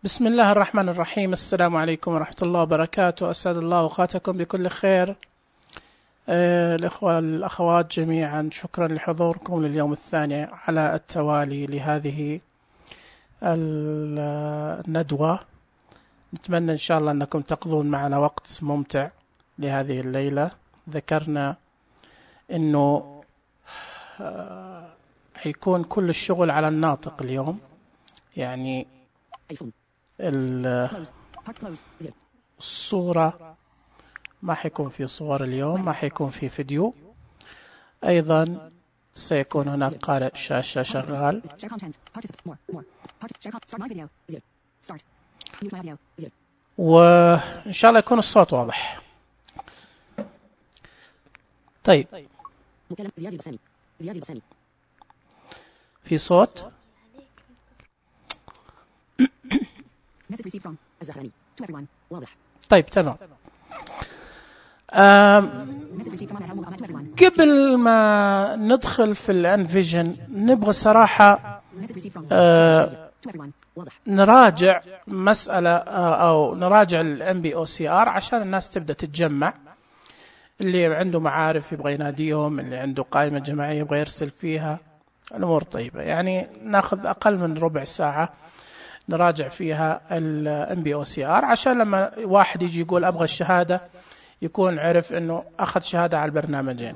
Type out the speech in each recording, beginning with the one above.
بسم الله الرحمن الرحيم. السلام عليكم ورحمة الله وبركاته. أسعد الله أوقاتكم بكل خير. الإخوة الأخوات جميعا، شكرا لحضوركم لليوم الثاني على التوالي لهذه الندوة. نتمنى إن شاء الله أنكم تقضون معنا وقت ممتع لهذه الليلة. ذكرنا أنه حيكون كل الشغل على الناطق اليوم، يعني الصورة ما حيكون في صور اليوم، ما حيكون في فيديو. أيضا سيكون هناك قارئ شاشة شغال، وإن شاء الله يكون الصوت واضح. طيب، في صوت؟ طيب تمام. قبل ما ندخل في الانفيجن نبغى صراحة نراجع مسألة أو نراجع الMBOCR عشان الناس تبدأ تتجمع. اللي عنده معارف يبغى يناديهم، اللي عنده قائمة جماعية يبغى يرسل فيها. الأمور طيبة، يعني ناخذ أقل من ربع ساعة نراجع فيها الMBOCR عشان لما واحد يجي يقول أبغى الشهادة يكون عرف أنه أخذ شهادة على البرنامجين.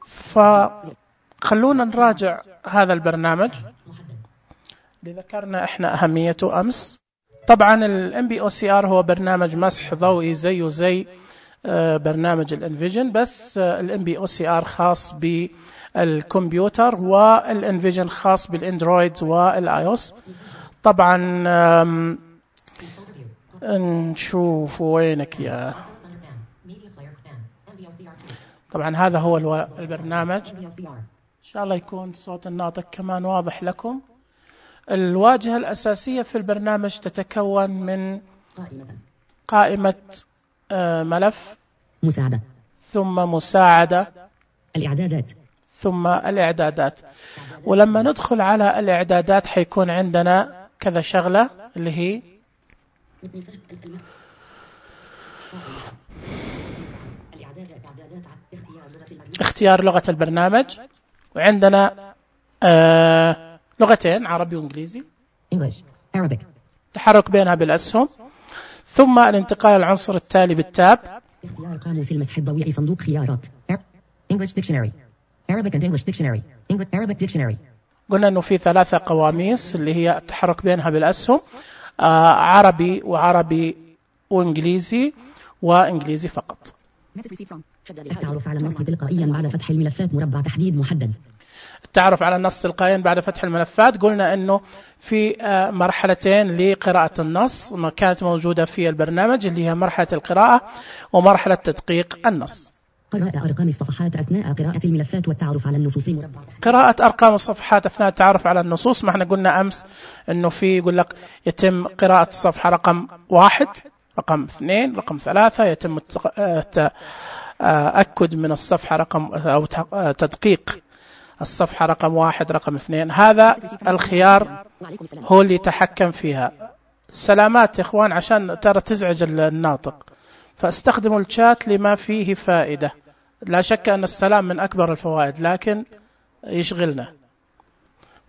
فخلونا نراجع هذا البرنامج اللي ذكرنا إحنا أهميته أمس. طبعا الMBOCR هو برنامج مسح ضوئي زيه زي برنامج الانفيجن، بس الMBOCR خاص بالكمبيوتر والانفيجن خاص بالاندرويد والايوس. طبعا نشوف وينك يا. طبعا هذا هو البرنامج. إن شاء الله يكون صوت الناطق كمان واضح لكم. الواجهة الأساسية في البرنامج تتكون من قائمة ملف، مساعدة، ثم مساعدة، الإعدادات، ثم الإعدادات. ولما ندخل على الإعدادات حيكون عندنا كذا شغلة اللي هي اختيار لغة البرنامج، وعندنا لغتين عربي وإنجليزي، English, Arabic، تحرك بينها بالأسهم، ثم الانتقال العنصر التالي بالتاب. اختيار قاموس المسح الضوئي، صندوق خيارات English Dictionary، Arabic and English Dictionary، Arabic Dictionary. قلنا أنه في 3 قواميس اللي هي التحرك بينها بالأسهم، عربي وعربي وإنجليزي وإنجليزي فقط. التعرف على النص تلقائيا بعد فتح الملفات، مربع تحديد محدد. التعرف على النص تلقائيا بعد فتح الملفات. قلنا أنه في مرحلتين لقراءة النص ما كانت موجودة في البرنامج، اللي هي مرحلة القراءة ومرحلة تدقيق النص. قراءة أرقام الصفحات أثناء قراءة الملفات والتعرف على النصوص، مربع قراءة أرقام الصفحات أثناء التعرف على النصوص. ما احنا قلنا أمس أنه في يقول لك يتم قراءة الصفحة رقم 1، رقم 2، رقم 3، يتم تأكد من الصفحة رقم أو تدقيق الصفحة رقم 1، رقم 2. هذا الخيار هو اللي يتحكم فيها. سلامات يا إخوان، عشان ترى تزعج الناطق، فاستخدموا الشات لما فيه فائدة. لا شك أن السلام من أكبر الفوائد، لكن يشغلنا،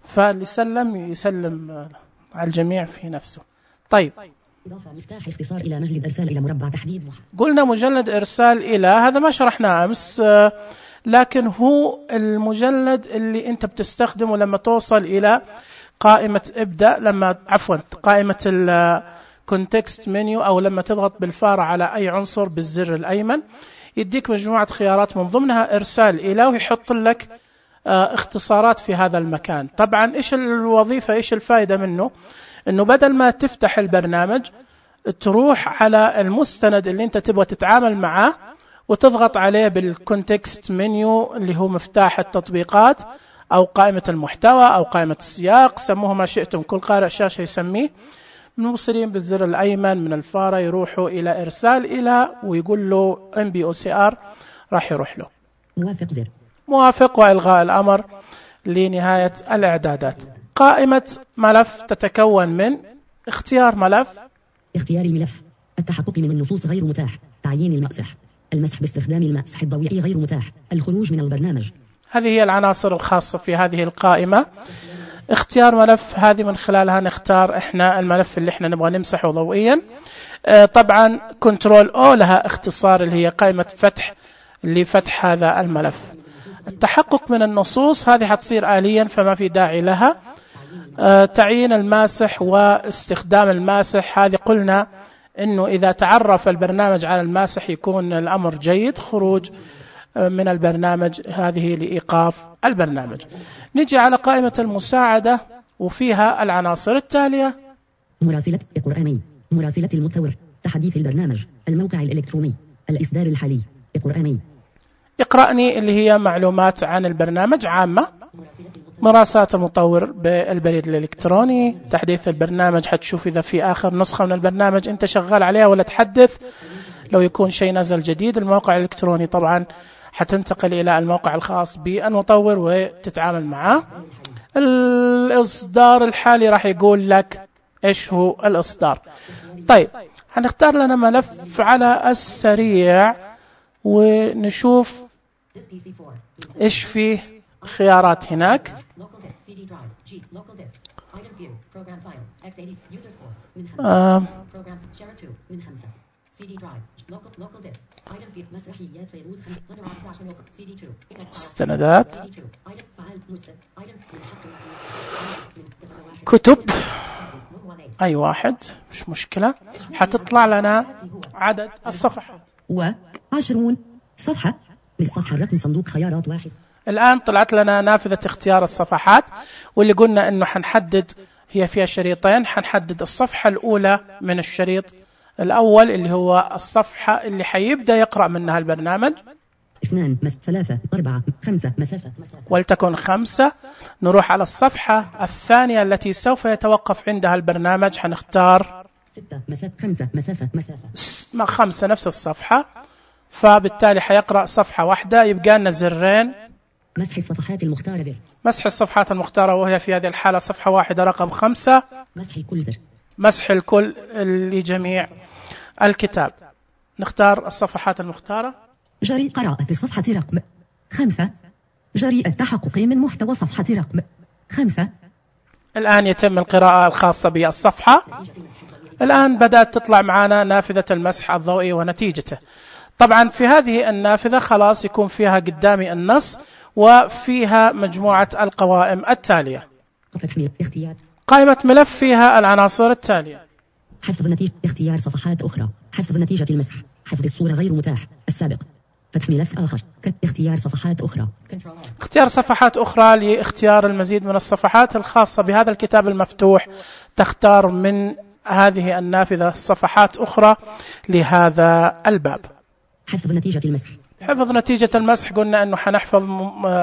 فاللي يسلم على الجميع في نفسه. طيب، إضافة مفتاح اختصار إلى مجلد إرسال إلى مربع تحديد محدد. قلنا مجلد إرسال إلى، هذا ما شرحناه أمس، لكن هو المجلد اللي أنت بتستخدمه لما توصل إلى قائمة ابدأ، قائمة الكونتكست منيو، أو لما تضغط بالفارة على أي عنصر بالزر الأيمن يديك مجموعة خيارات من ضمنها إرسال إلى، ويحط لك اختصارات في هذا المكان. طبعا إيش الوظيفة، إيش الفائدة منه؟ إنه بدل ما تفتح البرنامج تروح على المستند اللي أنت تبغى تتعامل معه وتضغط عليه بالكونتكست منيو، اللي هو مفتاح التطبيقات أو قائمة المحتوى أو قائمة السياق، سموه ما شئتم، كل قارئ شاشة يسميه. موصلين بالزر الأيمن من الفارة يروحوا إلى إرسال إلى، ويقول له MBOCR، راح يروح له موافق وإلغاء الأمر لنهاية الإعدادات. قائمة ملف تتكون من اختيار ملف، اختيار الملف، التحقق من النصوص غير متاح، تعيين المسح، المسح باستخدام المسح الضوئي غير متاح، الخروج من البرنامج. هذه هي العناصر الخاصة في هذه القائمة. اختيار ملف، هذه من خلالها نختار احنا الملف اللي احنا نبغى نمسحه ضوئيا. طبعا كنترول او لها اختصار اللي هي قائمة فتح لفتح هذا الملف. التحقق من النصوص هذه حتصير آليا فما في داعي لها. تعيين الماسح واستخدام الماسح، هذه قلنا انه اذا تعرف البرنامج على الماسح يكون الامر جيد. خروج من البرنامج هذه لإيقاف البرنامج. نجي على قائمة المساعدة وفيها العناصر التالية: مراسلة قرآني، مراسلة المطور، تحديث البرنامج، الموقع الإلكتروني، الإصدار الحالي، قرآني. اقرأني اللي هي معلومات عن البرنامج عامة. مراسلات المطور بالبريد الإلكتروني. تحديث البرنامج، حتشوف إذا في آخر نسخة من البرنامج أنت شغال عليها ولا تحدث. لو يكون شيء نزل جديد. الموقع الإلكتروني طبعا حتنتقل إلى الموقع الخاص بالمطور وتتعامل معه. الإصدار الحالي راح يقول لك إيش هو الإصدار. طيب هنختار لنا ملف على السريع ونشوف إيش فيه خيارات هناك. مستندات، كتب، أي واحد مش مشكلة. حتطلع لنا عدد الصفحات 20 صفحة. للصفحة الرقم صندوق خيارات 1. الآن طلعت لنا نافذة اختيار الصفحات، واللي قلنا أنه حنحدد، هي فيها شريطين، حنحدد الصفحة الأولى من الشريط الأول اللي هو الصفحة اللي حيبدأ يقرأ منها البرنامج. 2 3 4 5 مسافة. ولتكن 5. نروح على الصفحة الثانية التي سوف يتوقف عندها البرنامج، حنختار 6 مسافة 5 مسافة 5 نفس الصفحة، فبالتالي حيقرأ صفحة واحدة. يبقى لنا زرين: مسح الصفحات المختارة، مسح الصفحات المختارة، وهي في هذه الحالة صفحة واحدة رقم 5. مسح الكل زر، مسح الكل لجميع الكتاب. نختار الصفحات المختارة. جري قراءة صفحة رقم 5. جري التحقق من محتوى صفحة رقم 5. الآن يتم القراءة الخاصة بالصفحة. الآن بدأت تطلع معنا نافذة المسح الضوئي ونتيجته. طبعا في هذه النافذة خلاص يكون فيها قدامي النص وفيها مجموعة القوائم التالية. قائمة ملف فيها العناصر التالية: حفظ نتيجة، اختيار صفحات أخرى، حفظ نتيجة المسح، حفظ الصورة غير متاح، السابق، فتح ملف آخر، اختيار صفحات أخرى، اختيار صفحات أخرى لاختيار المزيد من الصفحات الخاصة بهذا الكتاب المفتوح. تختار من هذه النافذة صفحات أخرى لهذا الباب. حفظ نتيجة المسح، حفظ نتيجة المسح، قلنا أنه حنحفظ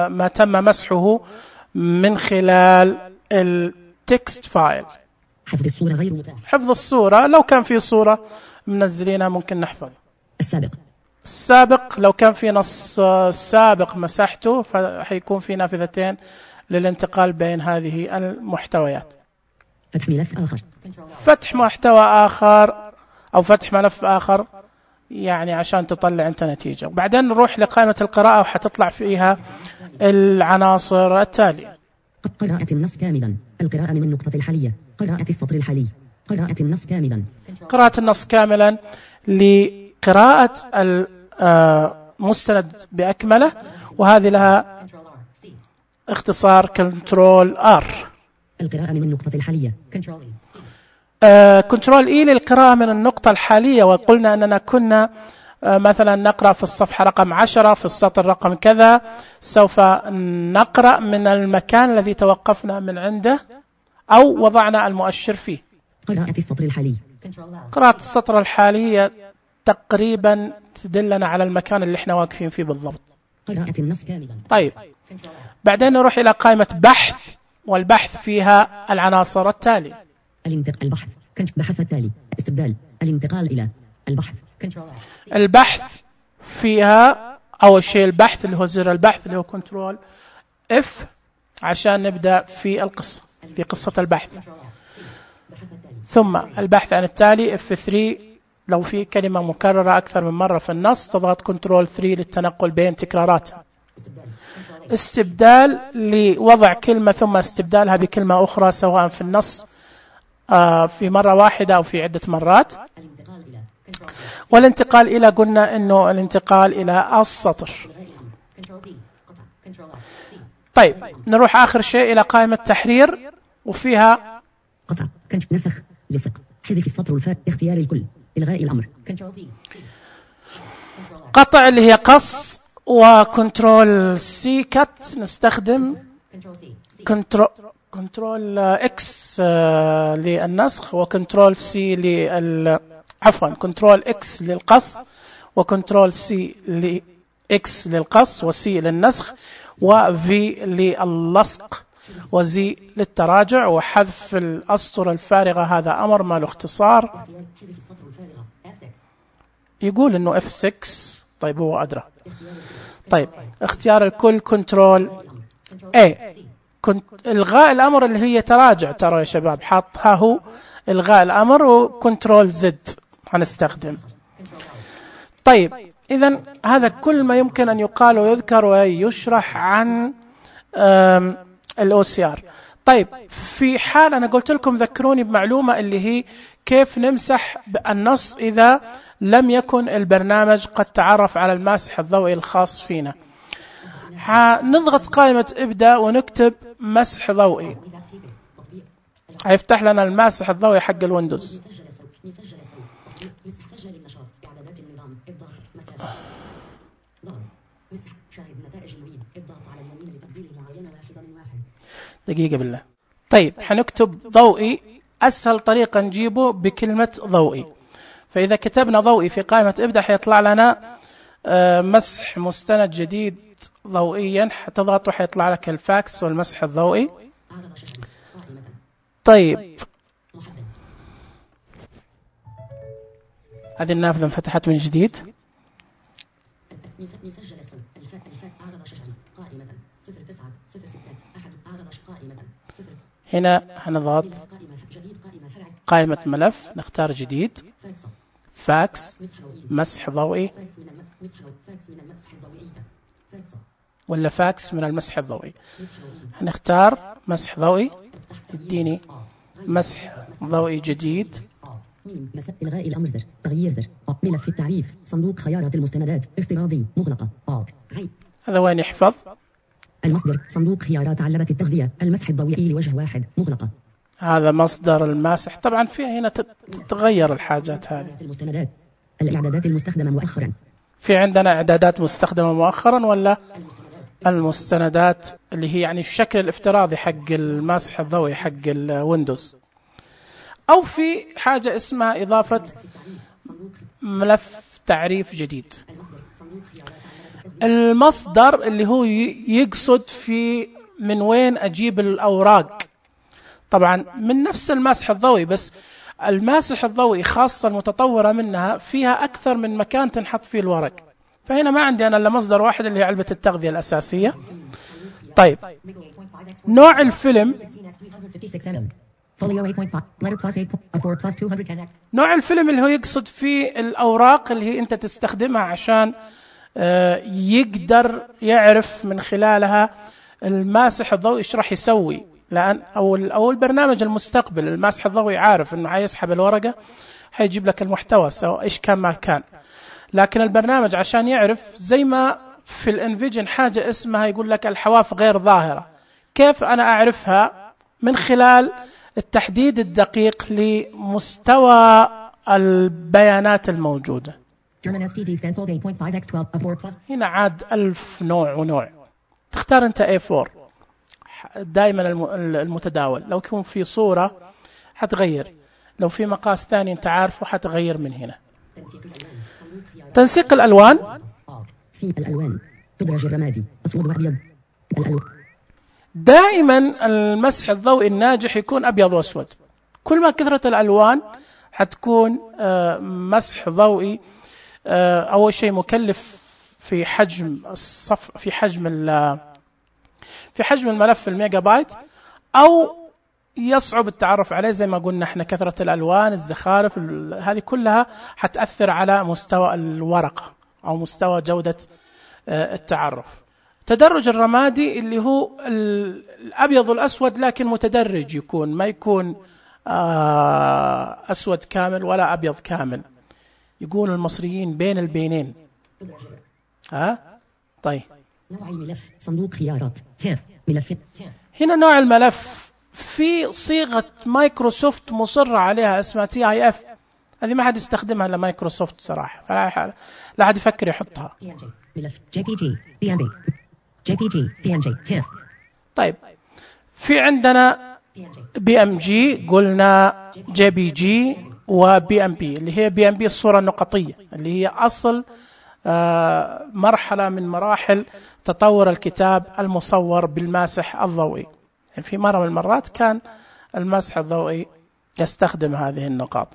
ما تم مسحه من خلال التكست فايل. حفظ الصورة غير متاح، حفظ الصورة لو كان في صورة منزلينها ممكن نحفظ. السابق، السابق لو كان في نص سابق مسحته فحيكون في نافذتين للانتقال بين هذه المحتويات. فتح ملف آخر، فتح محتوى آخر أو فتح ملف آخر، يعني عشان تطلع أنت نتيجة. بعدين نروح لقائمة القراءة وحتطلع فيها العناصر التالية: قراءة النص كاملا، القراءة من النقطة الحالية، قراءة السطر الحالي، قراءة النص كاملا. قراءة النص كاملا لقراءة المستند بأكمله، وهذه لها اختصار كنترول R. القراءة من النقطة الحالية، كنترول E للقراءة من النقطة الحالية. وقلنا أننا كنا مثلا نقرأ في الصفحة رقم 10 في السطر رقم كذا، سوف نقرأ من المكان الذي توقفنا من عنده أو وضعنا المؤشر فيه. قراءة السطر الحالي، قراءة السطر الحالي هي تقريبا تدلنا على المكان اللي احنا واقفين فيه بالضبط. قراءة النص كاملا. طيب بعدين نروح إلى قائمة بحث، والبحث فيها العناصر التالية: البحث، بحث التالي، استبدال، الانتقال إلى البحث. البحث فيها أول شيء البحث اللي هو زر البحث اللي هو كنترول F عشان نبدأ في القصة، في قصة البحث. ثم البحث عن التالي F3 لو في كلمة مكررة أكثر من مرة في النص تضغط كنترول 3 للتنقل بين تكراراتها. استبدال لوضع كلمة ثم استبدالها بكلمة أخرى سواء في النص في مرة واحدة أو في عدة مرات. والانتقال إلى قلنا أنه الانتقال إلى السطر. طيب نروح آخر شيء إلى قائمة تحرير وفيها قطع نسخ لصق حذف السطر والفاء اختيار الكل إلغاء الأمر قطع اللي هي قص وكنترول سي كت نستخدم كنترول اكس للنسخ وكنترول سي عفوا كنترول اكس للقص وكنترول سي لاكس للقص وسي للنسخ وفي للصق وزي للتراجع وحذف الأسطر الفارغة هذا أمر ما له اختصار يقول انه F6. طيب هو أدرى. طيب اختيار الكل كنترول A. الغاء الأمر اللي هي تراجع ترى يا شباب حاطها هو الغاء الأمر وكنترول زد هنستخدم. طيب إذن هذا كل ما يمكن أن يقال ويذكر ويشرح عن الOCR. طيب في حال أنا قلت لكم ذكروني بمعلومة اللي هي كيف نمسح النص إذا لم يكن البرنامج قد تعرف على الماسح الضوئي الخاص فينا. نضغط قائمة ابدأ ونكتب مسح ضوئي هيفتح لنا الماسح الضوئي حق الويندوز. دقيقة بالله. طيب حنكتب ضوئي أسهل طريقة نجيبه بكلمة ضوئي. فإذا كتبنا ضوئي في قائمة ابدأ حيطلع لنا مسح مستند جديد ضوئيا حتضغط وحيطلع لك الفاكس والمسح الضوئي. طيب هذه النافذة انفتحت من جديد. هنا هنضغط قائمة ملف نختار جديد فاكس مسح ضوئي ولا فاكس من المسح الضوئي. هنختار مسح ضوئي يديني مسح ضوئي جديد. إلغاء الأمر زر تغيير زر ملف التعريف صندوق خيارات المستندات افتراضي مغلقة هذا وين يحفظ المصدر صندوق خيارات علبة التغذية المسح الضوئي لوجه واحد مغلقة. هذا مصدر الماسح. طبعا فيها هنا تتغير الحاجات هذه. المستندات الإعدادات المستخدمة مؤخرا في عندنا إعدادات مستخدمة مؤخرا ولا المستندات اللي هي يعني الشكل الافتراضي حق الماسح الضوئي حق الويندوز. أو في حاجة اسمها إضافة ملف تعريف جديد. المصدر اللي هو يقصد في من وين أجيب الأوراق. طبعا من نفس الماسح الضوئي بس الماسح الضوئي خاصة المتطورة منها فيها أكثر من مكان تنحط فيه الورق. فهنا ما عندي أنا إلا مصدر واحد اللي هي علبة التغذية الأساسية. طيب نوع الفيلم نوع الفيلم اللي هو يقصد فيه الأوراق اللي هي أنت تستخدمها عشان يقدر يعرف من خلالها الماسح الضوئي إيش راح يسوي. لأن أو البرنامج المستقبل الماسح الضوئي عارف إنه حيسحب الورقة حيجيب لك المحتوى سواء إيش كان ما كان. لكن البرنامج عشان يعرف زي ما في الانفيجن حاجة اسمها يقول لك الحواف غير ظاهرة. كيف أنا أعرفها؟ من خلال التحديد الدقيق لمستوى البيانات الموجودة. هنا عاد 1000 نوع ونوع. تختار أنت A4 دائما المتداول. لو يكون في صورة حتغير. لو في مقاس ثاني أنت عارفه حتغير من هنا. تنسيق الألوان الألوان تدرج الرمادي أسود وأبيض. دائما المسح الضوئي الناجح يكون أبيض وأسود. كل ما كثرت الألوان حتكون مسح ضوئي أول شيء مكلف في حجم في حجم الملف الميجا بايت أو يصعب التعرف عليه. زي ما قلنا احنا كثرة الألوان، الزخارف، هذه كلها حتأثر على مستوى الورقة أو مستوى جودة التعرف. تدرج الرمادي اللي هو الأبيض والأسود لكن متدرج، يكون ما يكون أسود كامل ولا أبيض كامل، يقول المصريين بين البينين. طيب نوع الملف صندوق خيارات تير ملف. هنا نوع الملف في صيغة مايكروسوفت مصرة عليها اسمها TIF، هذه ما حد يستخدمها إلا مايكروسوفت صراحة، لا حد يفكر يحطها. ملف JPG PNG JPG PNG تير. طيب في عندنا BMG، قلنا JPG وBMP اللي هي BMP الصورة النقطية اللي هي أصل مرحلة من مراحل تطور الكتاب المصور بالماسح الضوئي. يعني في مرة من المرات كان المسح الضوئي يستخدم هذه النقاط.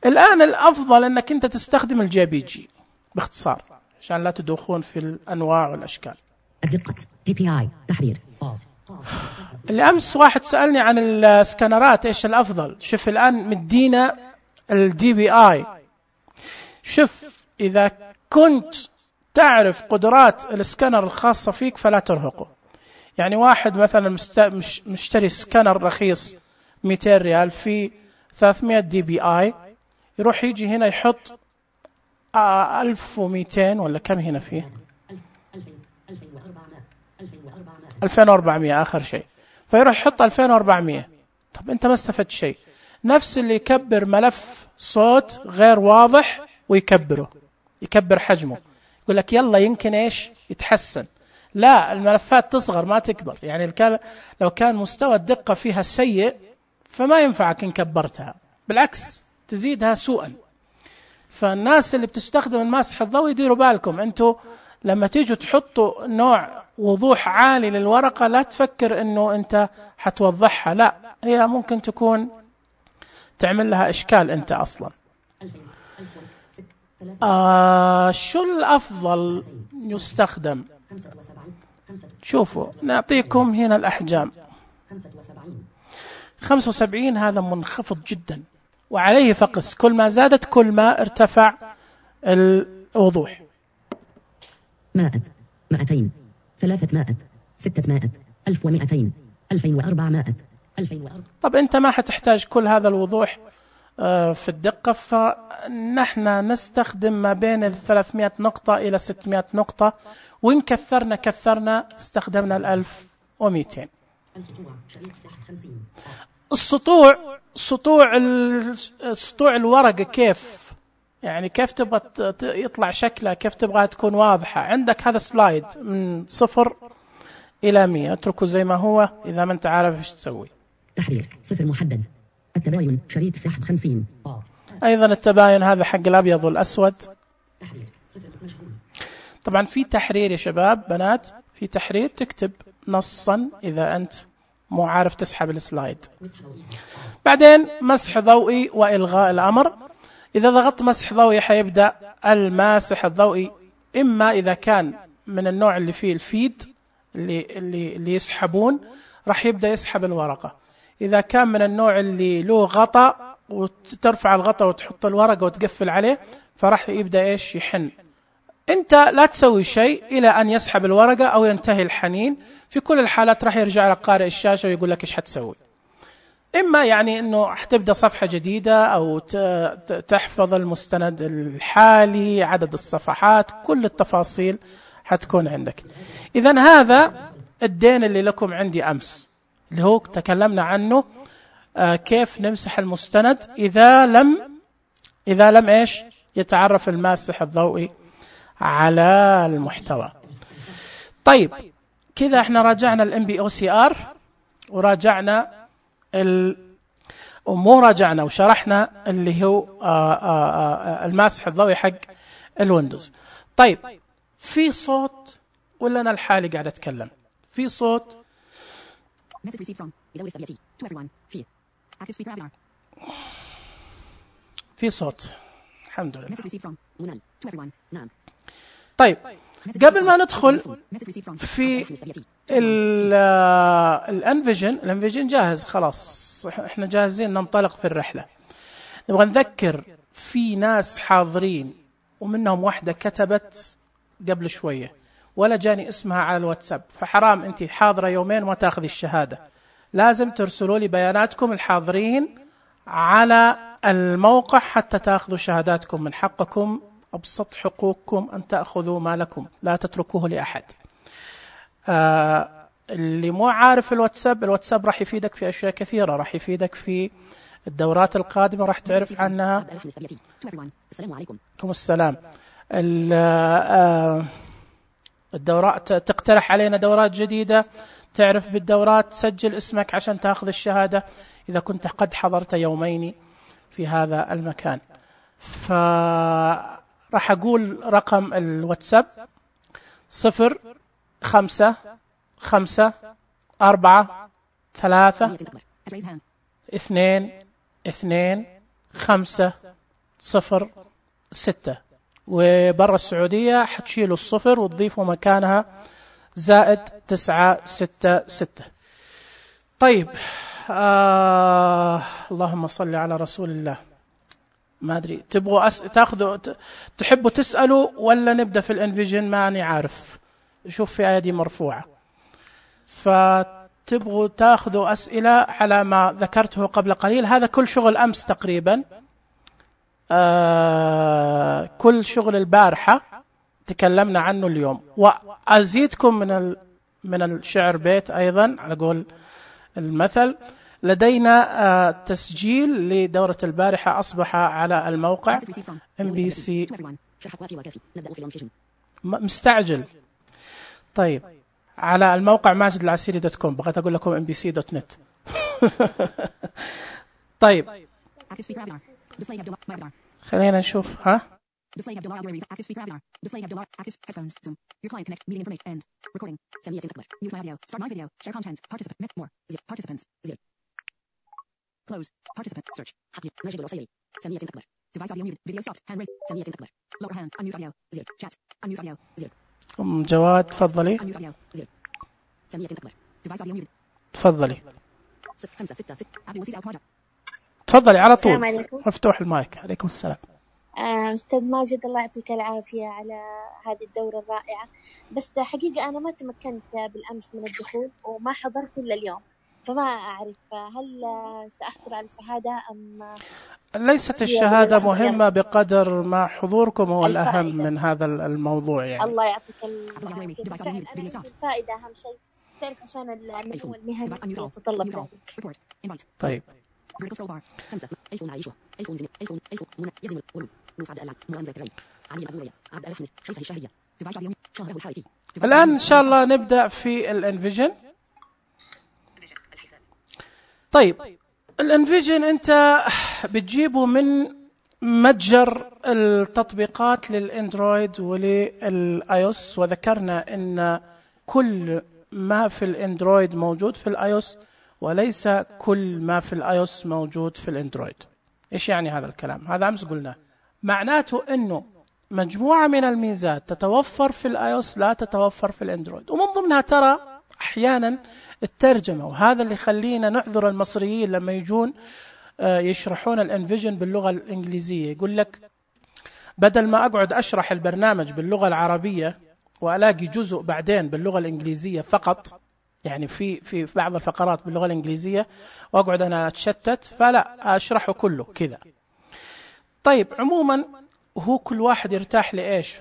الآن الأفضل أنك أنت تستخدم الJPG باختصار عشان لا تدوخون في الأنواع والأشكال. الدقة DPI تحرير. الأمس واحد سألني عن السكانرات إيش الأفضل. شوف الآن مدينا DPI. شوف إذا كنت تعرف قدرات السكانر الخاصة فيك فلا ترهقه. يعني واحد مثلا مشتري سكانر رخيص 200 ريال في 300 DPI، يروح يجي هنا يحط 1200 ولا كم هنا فيه 2400 آخر شيء، فيروح يحط 2400. طب أنت ما استفدت شيء. نفس اللي يكبر ملف صوت غير واضح ويكبره، يكبر حجمه، يقول لك يلا يمكن إيش يتحسن. لا، الملفات تصغر ما تكبر. يعني لو كان مستوى الدقة فيها سيء فما ينفعك إن كبرتها، بالعكس تزيدها سوءا. فالناس اللي بتستخدم المسح الضوئي ديروا بالكم، أنتوا لما تيجوا تحطوا نوع وضوح عالي للورقة لا تفكر أنه أنت حتوضحها، لا، هي ممكن تكون تعمل لها إشكال أنت أصلا. شو الأفضل يستخدم؟ شوفوا نعطيكم هنا الأحجام. 75 هذا منخفض جدا وعليه فقس، كل ما زادت كل ما ارتفع الوضوح. 100 200 300 600 1200 2400 2400. طب أنت ما حتحتاج كل هذا الوضوح في الدقة، فنحن نستخدم ما بين 300 نقطة إلى 600 نقطة، وإن كثرنا استخدمنا 1200. سطوع الورقة كيف؟ يعني كيف تبغى يطلع شكلها، كيف تبغى تكون واضحة؟ عندك هذا سلايد من 0 إلى 100، اتركه زي ما هو إذا ما أنت عارف إيش تسوي. تحرير 0 محدد. التباين شريط سحب 50. أيضا التباين هذا حق الأبيض والأسود. طبعا في تحرير يا شباب بنات، في تحرير تكتب نصا إذا أنت مو عارف تسحب السلايد. بعدين مسح ضوئي وإلغاء الأمر. إذا ضغطت مسح ضوئي حيبدأ الماسح الضوئي، إما إذا كان من النوع اللي فيه الفيد اللي يسحبون راح يبدأ يسحب الورقة. إذا كان من النوع اللي له غطاء وترفع الغطاء وتحط الورقة وتقفل عليه فراح يبدأ إيش يحن. أنت لا تسوي شيء إلى أن يسحب الورقة أو ينتهي الحنين. في كل الحالات راح يرجع لك قارئ الشاشة ويقول لك إيش حتسوي. إما يعني أنه حتبدأ صفحة جديدة أو تحفظ المستند الحالي، عدد الصفحات، كل التفاصيل حتكون عندك. إذن هذا الدين اللي لكم عندي أمس اللي هو تكلمنا عنه، كيف نمسح المستند إذا لم إيش يتعرف الماسح الضوئي على المحتوى. طيب كذا احنا راجعنا MBOCR وراجعنا ومو راجعنا وشرحنا اللي هو الماسح الضوئي حق الويندوز. طيب في صوت ولا أنا الحالي قاعد أتكلم؟ في صوت. في صوت الحمد لله. طيب قبل ما ندخل في الانفيجن جاهز خلاص، احنا جاهزين ننطلق في الرحلة. نبغى نذكر في ناس حاضرين ومنهم واحدة كتبت قبل شوية ولا جاني اسمها على الواتساب، فحرام انت حاضرة يومين وما تاخذي الشهادة. لازم ترسلوا لي بياناتكم الحاضرين على الموقع حتى تاخذوا شهاداتكم. من حقكم أبسط حقوقكم أن تأخذوا مالكم، لا تتركوه لأحد. اللي مو عارف الواتساب راح يفيدك في أشياء كثيرة، راح يفيدك في الدورات القادمة راح تعرف عنها. السلام عليكم. السلام. الدورات تقترح علينا دورات جديدة، تعرف بالدورات، تسجل اسمك عشان تأخذ الشهادة إذا كنت قد حضرت يومين في هذا المكان. فراح أقول رقم الواتساب 0553322506، وبرا السعودية حتشيلوا الصفر وتضيفوا مكانها +966. طيب اللهم صل على رسول الله. ما أدري تبغوا تاخذوا تحبوا تسألوا ولا نبدأ في الانفيجن؟ ماني عارف، شوف في أيدي مرفوعة. فتبغوا تاخذوا أسئلة على ما ذكرته قبل قليل. هذا كل شغل أمس تقريبا، كل شغل البارحة تكلمنا عنه اليوم. وأزيدكم من الشعر بيت أيضا على قول المثل. لدينا تسجيل لدورة البارحة أصبح على الموقع MBC. مستعجل. طيب على الموقع Mاجدالعسيري.com. بغيت أقول لكم MBC.net. طيب خلينا نشوف. ها Close. Participant. Search. حقي. ماجد العسيري. سمية أكبر. Device audio muted. Video stopped. Hand raised. سمية أكبر. Lower hand. Unmute audio. زر. Chat. Unmute audio. زر. جواد تفضلي. Unmute audio. زر. سمية أكبر. Device audio muted. تفضلي. 0566. عبد الوسيط أوتماجد. تفضلي على طول. مفتوح المايك. عليكم السلام. أستاذ ماجد الله يعطيك العافية على هذه الدورة الرائعة. بس حقيقة أنا ما تمكنت بالأمس من الدخول وما حضرت إلا اليوم، فما أعرف هل سأحصل على شهادة أم ليست الشهادة مهمة بقدر ما حضوركم هو الأهم من هذا الموضوع يعني. الله يعطيك العافية. الفائدة أهم شيء، تعرف عشان النمو المهني يتطلب ذلك. طيب الآن إن شاء الله نبدأ في الانفيجن. طيب الانفيجن أنت بتجيبه من متجر التطبيقات للأندرويد وللآيوس، وذكرنا أن كل ما في الأندرويد موجود في الآيوس وليس كل ما في الآيوس موجود في الأندرويد. إيش يعني هذا الكلام؟ هذا أمس قلنا معناته أنه مجموعة من الميزات تتوفر في الآيوس لا تتوفر في الأندرويد، ومن ضمنها ترى أحيانا الترجمة، وهذا اللي يخلينا نعذر المصريين لما يجون يشرحون الانفيجن باللغة الإنجليزية. يقول لك بدل ما أقعد أشرح البرنامج باللغة العربية وألاقي جزء بعدين باللغة الإنجليزية فقط، يعني في بعض الفقرات باللغة الإنجليزية وأقعد أنا أتشتت، فلا أشرحه كله كذا. طيب عموما هو كل واحد يرتاح لإيش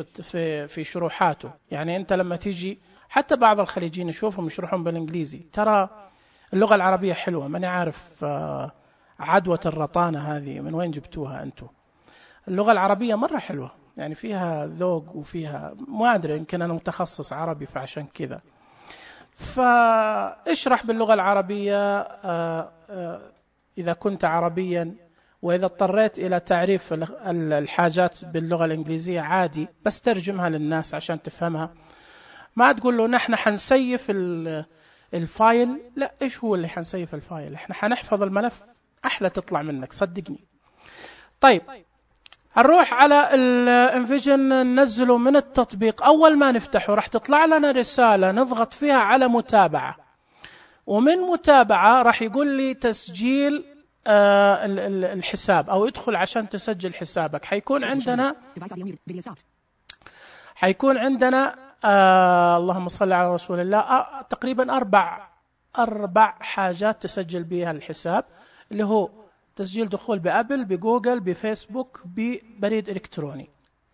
في شروحاته. يعني أنت لما تيجي حتى بعض الخليجيين يشوفهم يشرحون بالإنجليزي، ترى اللغة العربية حلوة. ماني عارف عدوة الرطانة هذه من وين جبتوها أنتم. اللغة العربية مرة حلوة، يعني فيها ذوق وفيها ما أدري، يمكن أنا متخصص عربي فعشان كذا. فاشرح باللغة العربية إذا كنت عربيا، وإذا اضطريت إلى تعريف الحاجات باللغة الإنجليزية عادي، بس ترجمها للناس عشان تفهمها. ما تقول له نحن حنسيف الفايل، لا، إيش هو اللي حنسيف الفايل؟ إحنا حنحفظ الملف، أحلى تطلع منك صدقني. طيب نروح على الانفيجن، ننزله من التطبيق. أول ما نفتحه راح تطلع لنا رسالة نضغط فيها على متابعة، ومن متابعة راح يقول لي تسجيل الحساب، أو ادخل عشان تسجل حسابك. حيكون عندنا اللهم صل على رسول الله تقريبا أربع حاجات تسجل بها الحساب، اللي هو تسجيل دخول بأبل، بجوجل، بفيسبوك، ببريد إلكتروني.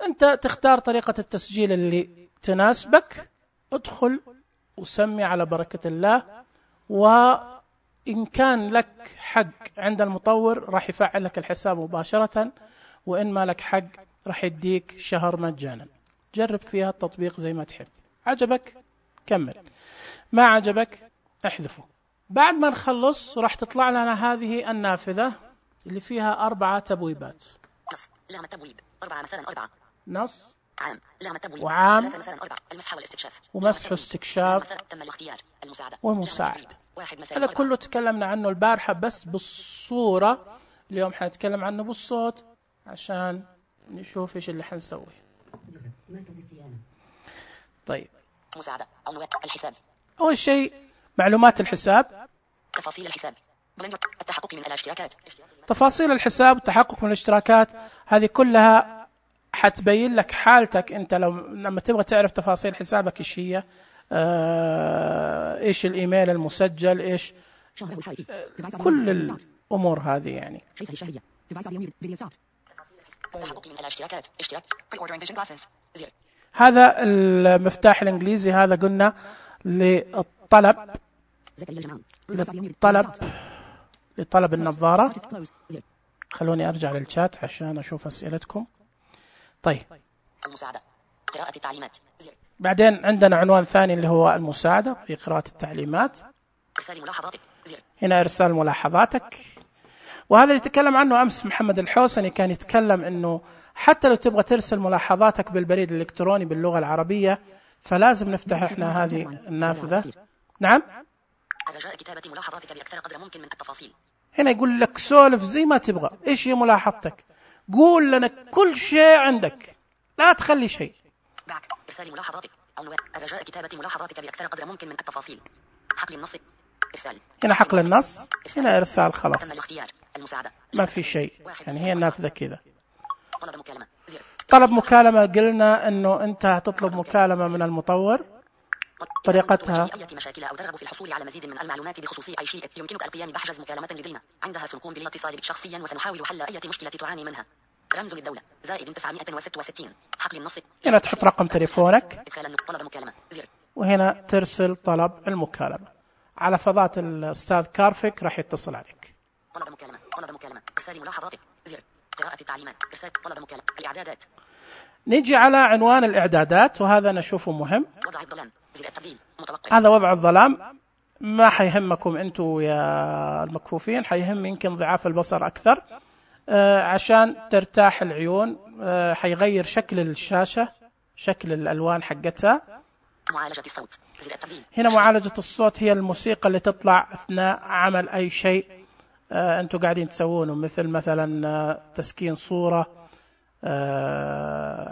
أنت تختار طريقة التسجيل اللي تناسبك، ادخل وسمي على بركة الله. وإن كان لك حق عند المطور راح يفعل لك الحساب مباشرة، وإن ما لك حق راح يديك شهر مجانا. جرب فيها التطبيق زي ما تحب. عجبك كمل، ما عجبك احذفه. بعد ما نخلص راح تطلع لنا هذه النافذة اللي فيها 4 تبويبات. نص لام التبويب 4 مثلا 4 نص عام لام التبويب وعام 3 مثلا 4 المسح والاستكشاف ومسح واستكشاف تم الاختيار المساعدة ومساعدة. 1 مثلا هذا 4 كله تكلمنا عنه البارحة بس بالصورة. اليوم حنتكلم عنه بالصوت عشان نشوف ايش اللي حنسوي. طيب، مساعدة عنوان الحساب. أول شيء معلومات الحساب، تفاصيل الحساب، التحقق من الاشتراكات. تفاصيل الحساب، التحقق من الاشتراكات. هذه كلها حتبين لك حالتك أنت لما تبغى تعرف تفاصيل حسابك إيش هي، إيش الإيميل المسجل، إيش كل الأمور هذه يعني. التحقق من الاشتراكات، اشتراك pre-ordering vision glasses 0. هذا المفتاح الإنجليزي، هذا قلنا للطلب النظارة. خلوني أرجع للشات عشان أشوف أسئلتكم. طيب، المساعدة قراءة التعليمات 0. بعدين عندنا عنوان ثاني اللي هو المساعدة في قراءة التعليمات. إرسال ملاحظاتك 0. هنا إرسال ملاحظاتك، وهذا اللي تكلم عنه أمس محمد الحوسني. كان يتكلم أنه حتى لو تبغى ترسل ملاحظاتك بالبريد الإلكتروني باللغة العربية فلازم نفتح إحنا هذه النافذة. نعم، رجاء كتابة ملاحظاتك بأكثر قدر ممكن من التفاصيل. هنا يقول لك سولف زي ما تبغى. إيش هي ملاحظتك؟ قول لنا كل شيء عندك، لا تخلي شيء. بعد إرسال ملاحظاتك عنوان رجاء كتابة ملاحظاتك بأكثر قدر ممكن من التفاصيل. حقل النص إرسال. هنا حقل النص، هنا إرسال. خلاص تم الاختيار المساعدة، ما في شيء يعني، هي النافذة كذا. طلب مكالمة 0. طلب مكالمة، قلنا أنه أنت هتطلب مكالمة من المطور. طريقتها أي مشاكل أو ترغب في الحصول على مزيد من المعلومات بخصوص أي شيء يمكنك القيام بحجز مكالمة لدينا. عندها سنقوم بالاتصال بك شخصيا وسنحاول حل أي مشكلة تعاني منها. رمز للدولة زائد 966. حقل النص. هنا تحط رقم تليفونك، إدخال طلب مكالمة 0. وهنا ترسل طلب المكالمة. على فضات الأستاذ كارفك راح يتصل عليك. طلب مكالمة إرسال ملاحظاتك 0. قراءة التعليمات إرسال طلب مكالمة. الإعدادات. نيجي على عنوان الإعدادات، وهذا نشوفه مهم. وضع الظلام زر التبديل متوقع. هذا وضع الظلام، ما حيهمكم أنتوا يا المكفوفين، حيهم يمكن ضعاف البصر أكثر. عشان ترتاح العيون. حيغير شكل الشاشة، شكل الألوان حقتها. معالجة الصوت زر التبديل. هنا معالجة الصوت هي الموسيقى اللي تطلع أثناء عمل أي شيء أنتوا قاعدين تسوونه، مثلا تسكين صورة،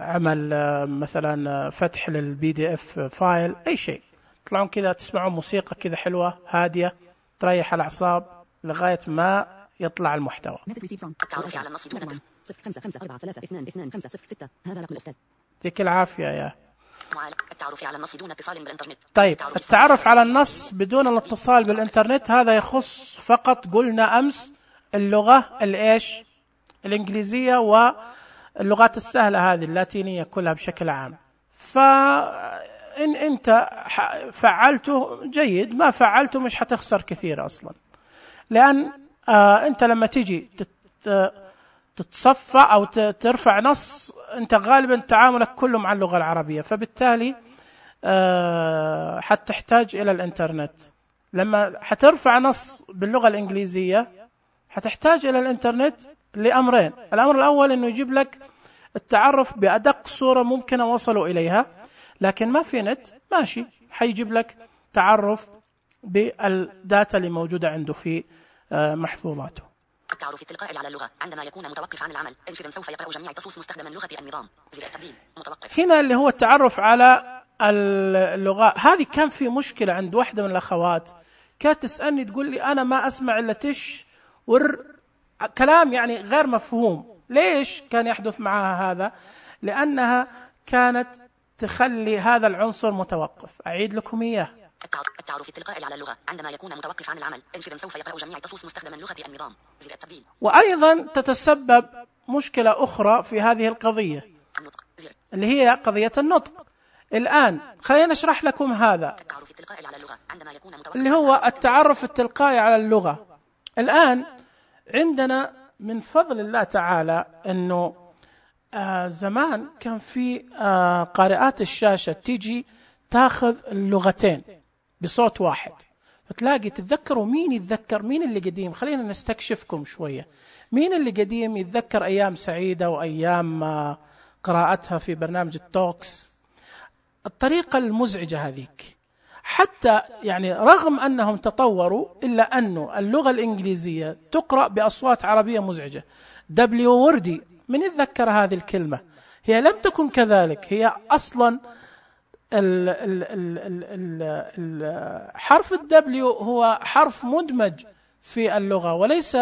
عمل مثلا فتح للPDF فايل، أي شيء. تطلعون كذا تسمعون موسيقى كذا حلوة هادية تريح الأعصاب لغاية ما يطلع المحتوى. التعرف على النص دون 0554322506. هذا رقم الأستاذ. يعطيك العافية يا. التعرف على النص دون اتصال بالإنترنت. طيب، التعرف على النص بدون الاتصال بالإنترنت هذا يخص فقط، قلنا أمس، اللغة الإيش الإنجليزية واللغات السهلة هذه اللاتينية كلها بشكل عام. فإن أنت فعلته جيد، ما فعلته مش حتخسر كثير أصلا، لأن أنت لما تيجي تتصفى أو ترفع نص أنت غالبا تعاملك كله مع اللغة العربية، فبالتالي حتحتاج إلى الإنترنت. لما حترفع نص باللغة الإنجليزية حتحتاج إلى الإنترنت لأمرين. الأمر الأول أنه يجيب لك التعرف بأدق صورة ممكنة وصلوا إليها، لكن ما في نت ماشي، حيجيب لك تعرف بالداتا اللي موجودة عنده في محفوظاته. التعرف التلقائي على اللغة عندما يكون متوقف عن العمل. انفذ سوف يقرأ جميع التصوص مستخدما لغة النظام. زر التبديل متوقف. هنا اللي هو التعرف على اللغة. هذه كان في مشكلة عند واحدة من الأخوات، كانت تسألني تقول لي أنا ما أسمع إلا تش كلام يعني غير مفهوم. ليش كان يحدث معها هذا؟ لأنها كانت تخلي هذا العنصر متوقف. أعيد لكم إياه. التعرف التلقائي على اللغة عندما يكون متوقف عن العمل. انفذ سوف يقرأ جميع التصوص مستخدما لغة النظام. زر التبديل. وأيضا تتسبب مشكلة أخرى في هذه القضية النطق. زر. اللي هي قضية النطق. الآن خلينا نشرح لكم هذا التعرف التلقائي على اللغة عندما يكون متوقف اللي هو التعرف التلقائي على اللغة. الآن عندنا من فضل الله تعالى أنه زمان كان في قارئات الشاشة تيجي تاخذ اللغتين بصوت واحد، فتلاقي تتذكروا مين يتذكر مين اللي قديم. خلينا نستكشفكم شوية. مين اللي قديم يتذكر أيام سعيدة وأيام قراءتها في برنامج التوكس؟ الطريقة المزعجة هذيك، حتى يعني رغم أنهم تطوروا إلا أنه اللغة الإنجليزية تقرأ بأصوات عربية مزعجة. دبليو وردي، من يتذكر هذه الكلمة؟ هي لم تكن كذلك. هي أصلا حرف الدبليو هو حرف مدمج في اللغة، وليس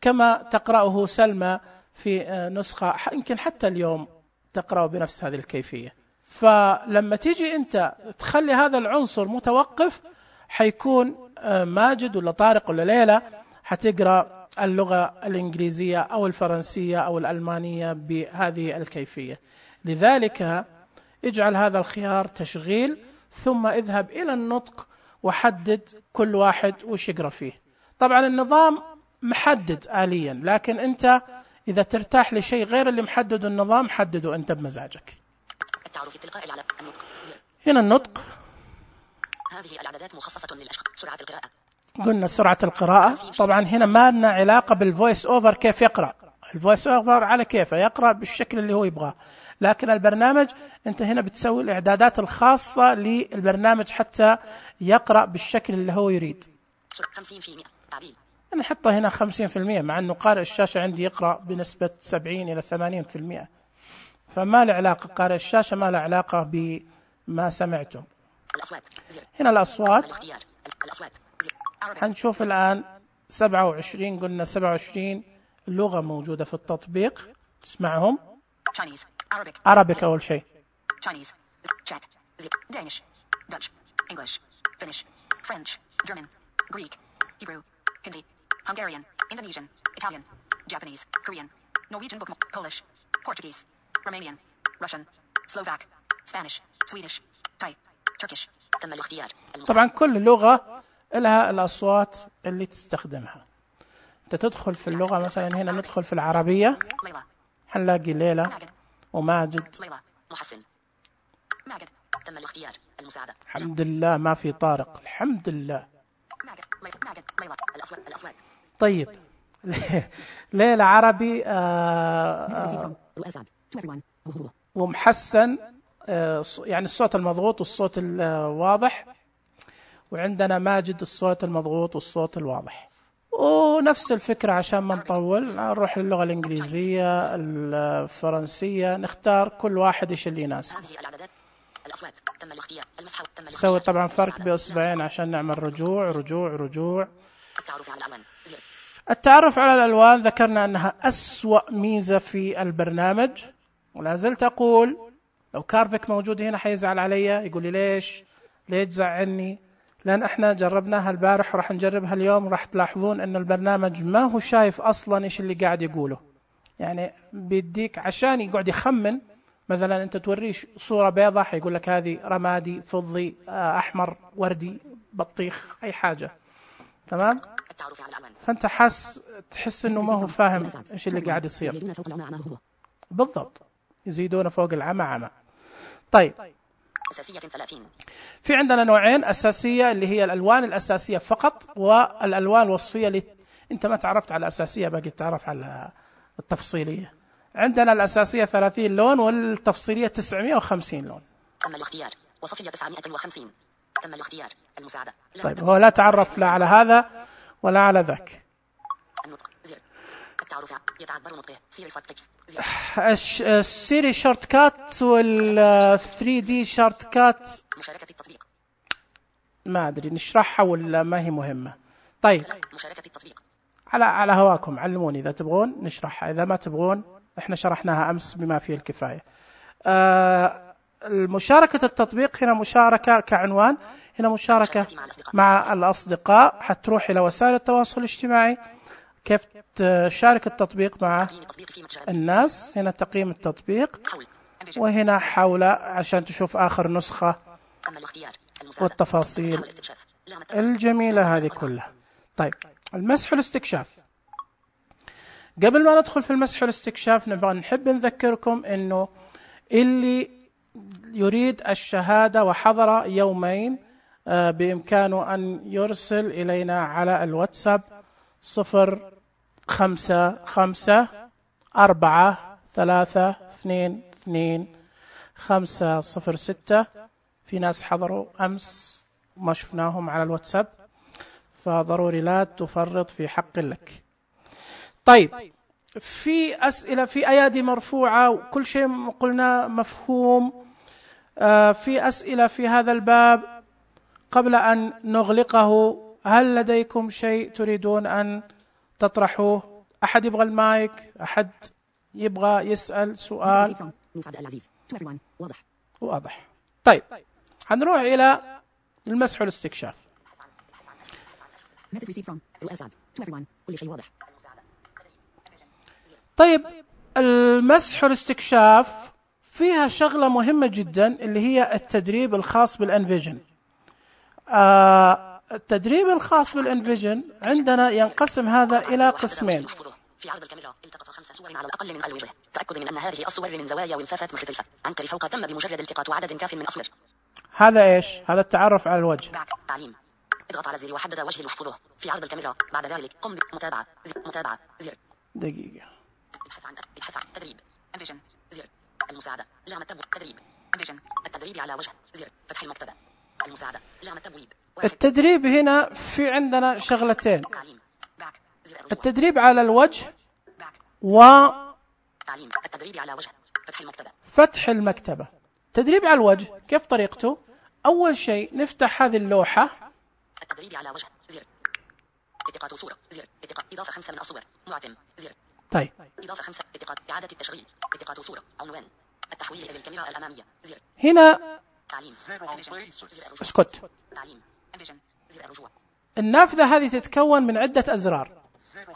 كما تقرأه سلمى في نسخة يمكن حتى اليوم تقرأه بنفس هذه الكيفية. فلما تيجي أنت تخلي هذا العنصر متوقف، حيكون ماجد ولا طارق ولا ليلى حتقرأ اللغة الإنجليزية أو الفرنسية أو الألمانية بهذه الكيفية. لذلك اجعل هذا الخيار تشغيل، ثم اذهب إلى النطق وحدد كل واحد وش يقرأ فيه. طبعا النظام محدد آليا، لكن أنت إذا ترتاح لشيء غير اللي محدد النظام حدده أنت بمزاجك. التعرف التلقائي على النطق. هنا النطق. هذه الإعدادات مخصصة للأشخاص. سرعة القراءة. قلنا سرعة القراءة. طبعا هنا ما لنا علاقة بالفويس أوفر كيف يقرأ. الفويس أوفر على كيفه يقرأ بالشكل اللي هو يبغاه، لكن البرنامج أنت هنا بتسوي الإعدادات الخاصة للبرنامج حتى يقرأ بالشكل اللي هو يريد. 50% تعديل. أنا أحطه هنا 50%، مع أنه قارئ الشاشة عندي يقرأ بنسبة 70 إلى 80%، فما له علاقة. قارئ الشاشة ما له علاقة بما سمعتم. الأصوات. هنا الأصوات. الأصوات. هنشوف الآن 27. قلنا 27 لغة موجودة في التطبيق. تسمعهم. Chinese, Arabic أول شيء. Chinese, Czech, Danish, Dutch, English, Finnish, French, German, Greek, Hebrew, Hindi, Hungarian, Indonesian, Italian, Japanese, Korean, Norwegian, Polish, Portuguese, Romanian, Russian, Slovak, Spanish, Swedish, Thai, Turkish. تم الاختيار. طبعا كل لغة لها الأصوات اللي تستخدمها. أنت تدخل في اللغة، مثلا هنا ندخل في العربية هنلاقي ليلى وماجد. ليلى محسن ماجد. تم الاختيار. المساعدة. الحمد لله ما في طارق، الحمد لله. ماجد ليلى. الأصوات. طيب ليلى عربي ومحسن، يعني الصوت المضغوط والصوت الواضح، وعندنا ماجد الصوت المضغوط والصوت الواضح. ونفس الفكرة عشان ما نطول نروح للغة الإنجليزية الفرنسية، نختار كل واحد إيش اللي يناسب. الأصوات. تم الاختيار. المسح. نسوي طبعا فرق بأصبعين عشان نعمل رجوع. التعرف على الألوان. التعرف على الألوان ذكرنا أنها أسوأ ميزة في البرنامج، ولا زلت أقول لو كارفيك موجود هنا حيزعل علي، يقول لي ليش تزعلني؟ لأن احنا جربناها البارح وراح نجربها اليوم، راح تلاحظون أن البرنامج ما هو شايف أصلا إيش اللي قاعد يقوله. يعني بيديك عشان يقعد يخمن، مثلا أنت توريش صورة بيضة حيقول لك هذه رمادي، فضي، أحمر، وردي، بطيخ، أي حاجة. تمام؟ فأنت تحس أنه ما هو فاهم إيش اللي قاعد يصير. بالضبط، يزيدون فوق العمى عمى. طيب، أساسية 30. في عندنا نوعين: أساسية اللي هي الألوان الأساسية فقط، والألوان الوصفية اللي أنت ما تعرفت على الأساسية باقي تعرف على التفصيلية. عندنا الأساسية 30 لون والتفصيلية 950 لون. تم الاختيار. وصفية 950. تم الاختيار. المساعدة. طيب، هو لا تعرف لا على هذا ولا على ذاك. تعرف يتعذر نطقه سيري شورت كاتس السيري شورت كات وال 3D شورت كات مشاركة التطبيق ما أدري نشرحها ولا ما هي مهمة. طيب مشاركة التطبيق على هواكم، علموني إذا تبغون نشرحها، إذا ما تبغون إحنا شرحناها أمس بما فيه الكفاية. المشاركة التطبيق هنا مشاركة كعنوان، هنا مشاركة مع الأصدقاء، حتروح إلى وسائل التواصل الاجتماعي كيف تشارك التطبيق مع الناس. هنا تقييم التطبيق، وهنا حول عشان تشوف آخر نسخة والتفاصيل الجميلة هذه كلها. طيب المسح والاستكشاف. قبل ما ندخل في المسح والاستكشاف نبغى نحب نذكركم إنه اللي يريد الشهادة وحضر يومين بإمكانه أن يرسل إلينا على الواتساب 0554322506. في ناس حضروا أمس ما شفناهم على الواتساب، فضروري لا تفرط في حق لك. طيب في أسئلة، في أيادي مرفوعة وكل شيء قلنا مفهوم. في أسئلة في هذا الباب قبل أن نغلقه. هل لديكم شيء تريدون أن تطرحوه؟ أحد يبغى المايك؟ أحد يبغى يسأل سؤال؟ واضح. طيب هنروح إلى المسح والاستكشاف. طيب المسح والاستكشاف فيها شغلة مهمة جدا اللي هي التدريب الخاص بالانفيجن. التدريب الخاص بالانفيجن عندنا ينقسم هذا إلى قسمين. في عرض الكاميرا التقط 5 صور على الأقل من الوجه. تأكد من أن هذه الصور من زوايا ومسافات مختلفة. عنك لفوق تم بمجرد التقاط عدد كاف من الصور. هذا إيش؟ هذا التعرف على الوجه. تعليم. اضغط على الزر وحدد وجه ليحفظه في عرض الكاميرا. بعد ذلك قم بمتابعة زر. دقيقة. ابحث عن تدريب انفيجن زر. المساعدة لام التبويب. تدريب انفيجن التدريب على وجه زر. فتح المكتبة. المساعدة لام التبويب. التدريب هنا في عندنا شغلتين، التدريب على الوجه تعليم التدريب على وجه. فتح المكتبة. تدريب على الوجه كيف طريقته؟ أول شيء نفتح هذه اللوحة. التدريب على وجه زر. التقاط صورة زر. إضافة 5 من الصور معتم زر. طيب إضافة 5 التقاط إعادة التشغيل. التقاط صورة عنوان. التحويل إلى الكاميرا الأمامية زر. هنا تعليم اسكت. تعليم انفيجن زر الرجوع. النافذة هذه تتكون من عدة أزرار.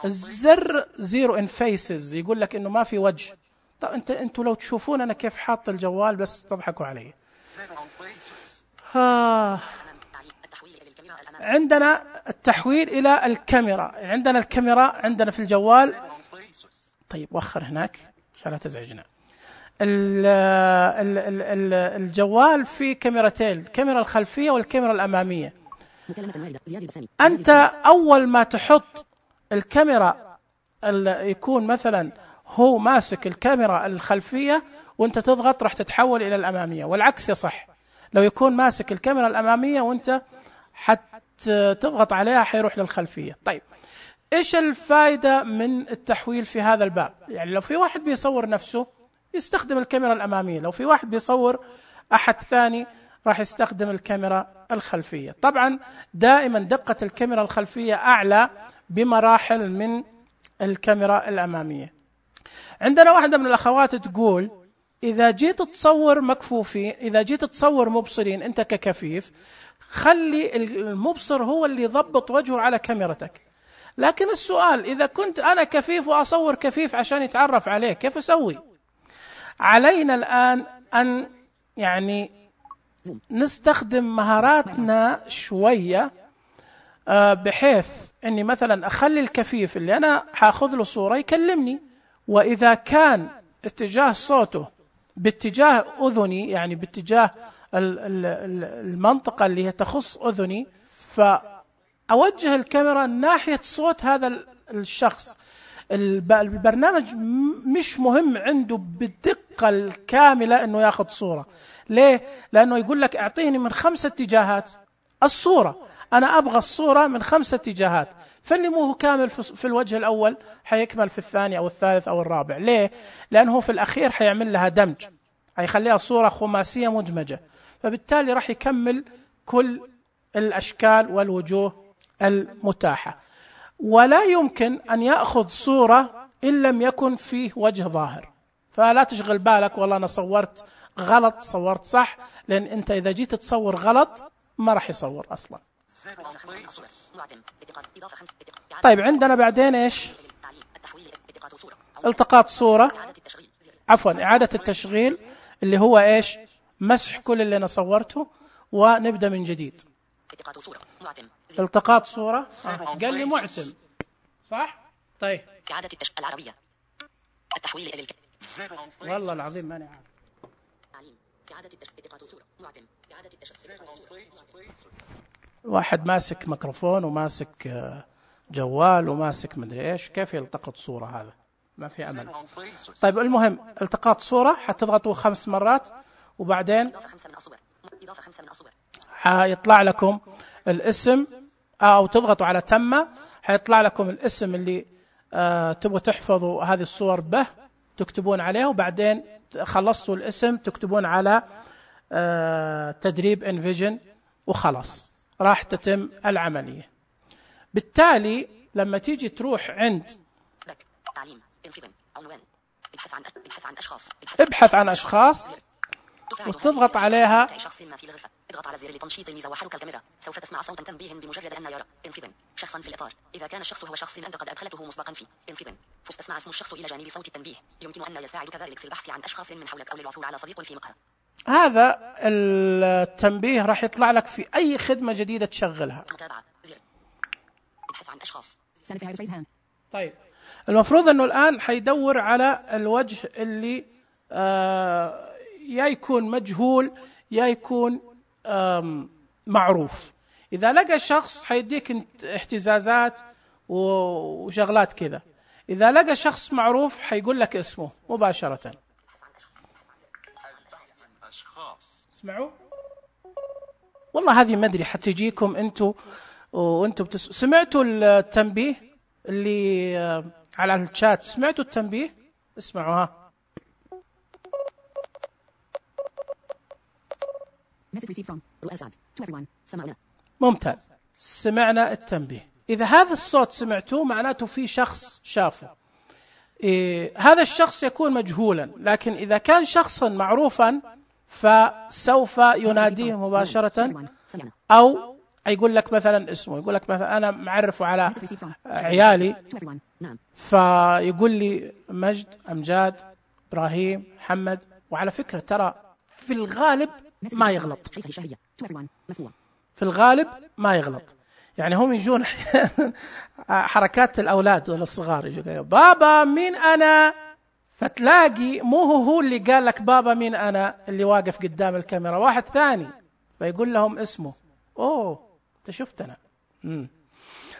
الزر زيرو ان فيسز يقول لك إنه ما في وجه. طب انتوا لو تشوفون أنا كيف حاط الجوال بس تضحكوا علي. عندنا التحويل إلى الكاميرا، عندنا الكاميرا عندنا في الجوال. طيب وخر هناك عشان لا تزعجنا. الجوال فيه كاميرتين، الكاميرا الخلفية والكاميرا الأمامية. أنت أول ما تحط الكاميرا يكون مثلا هو ماسك الكاميرا الخلفية وانت تضغط راح تتحول إلى الأمامية، والعكس يصح. لو يكون ماسك الكاميرا الأمامية وانت تضغط عليها حيروح للخلفية. طيب إيش الفائدة من التحويل في هذا الباب؟ يعني لو في واحد بيصور نفسه يستخدم الكاميرا الأمامية، لو في واحد بيصور أحد ثاني راح يستخدم الكاميرا الخلفية. طبعا دائما دقة الكاميرا الخلفية أعلى بمراحل من الكاميرا الأمامية. عندنا واحدة من الأخوات تقول إذا جيت تصور مكفوفين، إذا جيت تصور مبصرين أنت ككفيف، خلي المبصر هو اللي يضبط وجهه على كاميرتك. لكن السؤال إذا كنت أنا كفيف وأصور كفيف عشان يتعرف عليه كيف أسوي؟ علينا الآن أن يعني نستخدم مهاراتنا شوية، بحيث أني مثلا أخلي الكفيف اللي أنا هاخذ له صورة يكلمني، وإذا كان اتجاه صوته باتجاه أذني، يعني باتجاه المنطقة اللي هي تخص أذني، فأوجه الكاميرا ناحية صوت هذا الشخص. البرنامج مش مهم عنده بالدقة الكاملة أنه ياخذ صورة. ليه؟ لأنه يقول لك اعطيني من 5 اتجاهات الصورة. أنا أبغى الصورة من 5 اتجاهات، فاللي مو هو كامل في الوجه الأول حيكمل في الثاني أو الثالث أو الرابع. ليه؟ لأنه في الأخير حيعمل لها دمج، حيخليها صورة خماسية مدمجة، فبالتالي راح يكمل كل الأشكال والوجوه المتاحة. ولا يمكن أن يأخذ صورة إن لم يكن فيه وجه ظاهر. فلا تشغل بالك والله أنا صورت غلط صورت صح، لأن أنت إذا جيت تصور غلط ما راح يصور أصلا. طيب عندنا بعدين إيش؟ التقاط صورة، عفوا إعادة التشغيل، اللي هو إيش؟ مسح كل اللي أنا صورته ونبدأ من جديد. التقاط صورة قال لي معتم صح؟ طيب إعادة العربية التحويل إلى والله العظيم ماني عارف. إعادة التقاط صورة معتم إعادة واحد ماسك ميكروفون وماسك جوال وماسك مدري إيش، كيف يلتقط صورة؟ هذا ما في أمل. طيب المهم التقاط صورة حتضغطوا 5 مرات وبعدين حيطلع لكم الاسم، أو تضغطوا على تم حيطلع لكم الاسم اللي تبغوا تحفظوا هذه الصور به، تكتبون عليه، وبعدين خلصتوا الاسم تكتبون على تدريب انفيجن وخلاص راح تتم العملية. بالتالي لما تيجي تروح عند تعليم عنوان ابحث عن أشخاص وتضغط عليها، شخص ما في الغرفة، اضغط على زر لتنشيط الميزة وحرك الكاميرا، سوف تسمع صوتا تنبيه بمجرد أن يرى انفذ شخصا في الإطار. إذا كان الشخص هو شخص أنت قد أدخلته مسبقا فيه انفذ، فاستسمع اسم الشخص إلى جانب صوت التنبيه، يمكن أن يساعدك ذلك في البحث عن أشخاص من حولك أو للعثور على صديق في مقهى. هذا التنبيه راح يطلع لك في أي خدمة جديدة تشغلها. متابعة زر ابحث عن أشخاص. طيب المفروض أنه الآن حيدور على الوجه اللي يا يكون مجهول يا يكون معروف. إذا لقى شخص حيديك اهتزازات وشغلات كذا، إذا لقى شخص معروف حيقول لك اسمه مباشرة. اسمعوا والله هذه ما أدري حتجيكم أنتوا وأنتوا سمعتوا التنبيه اللي على الشات؟ سمعتوا التنبيه؟ اسمعوا ها. ممتاز، سمعنا التنبيه. إذا هذا الصوت سمعتوه معناته في شخص شافه. هذا الشخص يكون مجهولا، لكن إذا كان شخصا معروفا فسوف يناديه مباشرة، أو يقول لك مثلا اسمه، يقول لك مثلا أنا معرفه على عيالي فيقول لي مجد، أمجاد، إبراهيم، محمد. وعلى فكرة ترى في الغالب ما يغلط، في الغالب ما يغلط. يعني هم يجون حركات الأولاد الصغار يجوا بابا مين أنا، فتلاقي مو هو اللي قال لك بابا مين أنا اللي واقف قدام الكاميرا، واحد ثاني فيقول لهم اسمه. أوه أنت شفتنا.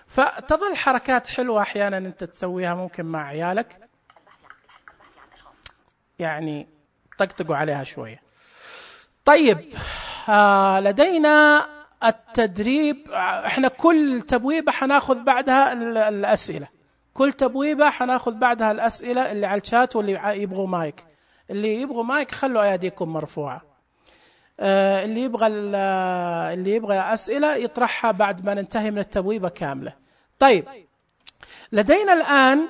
فتظل حركات حلوة أحيانا أنت تسويها ممكن مع عيالك، يعني طقطقوا عليها شوية. طيب لدينا التدريب. احنا كل تبويبة حناخذ بعدها الأسئلة، كل تبويبة حناخذ بعدها الأسئلة اللي على الشات. واللي يبغوا مايك، اللي يبغوا مايك خلوا أيديكم مرفوعة. اللي يبغى أسئلة يطرحها بعد ما ننتهي من التبويبة كاملة. طيب لدينا الآن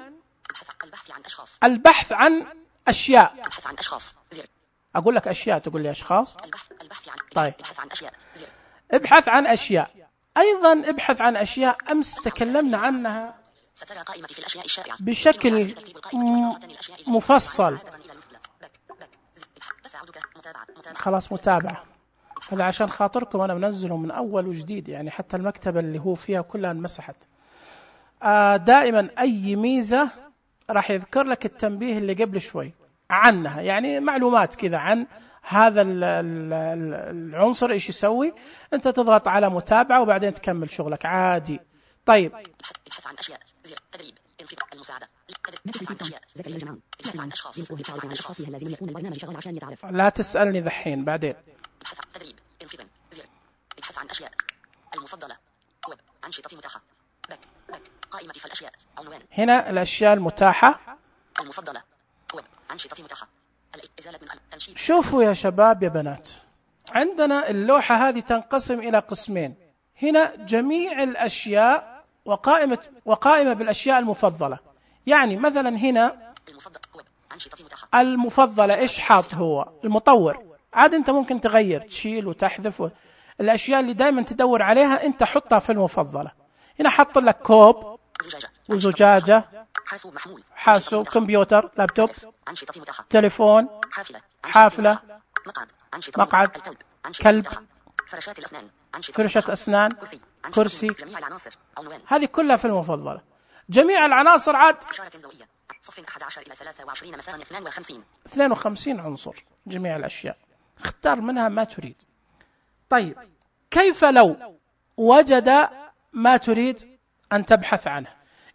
البحث عن أشياء. البحث عن أشخاص زر. أقول لك أشياء تقول لي أشخاص. البحث عن طيب ابحث عن أشياء زر. ابحث عن أشياء. أيضا ابحث عن أشياء أمس تكلمنا عنها سترى قائمة في الأشياء الشائعة بشكل مفصل. خلاص متابعة، هذا عشان خاطركم أنا منزله من أول وجديد، يعني حتى المكتبة اللي هو فيها كلها انمسحت. دائما أي ميزة راح يذكر لك التنبيه اللي قبل شوي عنها، يعني معلومات كذا عن هذا العنصر إيش يسوي. أنت تضغط على متابعة وبعدين تكمل شغلك عادي. طيب ابحث عن أشياء زر. تدريب انفذ المساعدة. لا تسألني ذحين بعدين. تدريب انفذ زر. ابحث عن أشياء المفضلة. أنشطة متاحة. باك قائمة فالأشياء عنوان. هنا الأشياء المتاحة المفضلة. ويب أنشطة متاحة. إزالة من التنشيط. شوفوا يا شباب يا بنات، عندنا اللوحة هذه تنقسم إلى قسمين. هنا جميع الأشياء وقائمة بالأشياء المفضلة. يعني مثلا هنا المفضلة إيش حاط هو المطور، عاد أنت ممكن تغير تشيل وتحذف الأشياء اللي دائما تدور عليها أنت حطها في المفضلة. هنا حط لك كوب وزجاجة، حاسوب، كمبيوتر، لابتوب، تليفون، حافلة، مقعد، كلب، فرشة أسنان، كرسي. هذه كلها في المفضلة. جميع العناصر عاد 11 إلى 23 مساء 52 عنصر. جميع الأشياء اختار منها ما تريد. طيب كيف لو وجد ما تريد أن تبحث عنه؟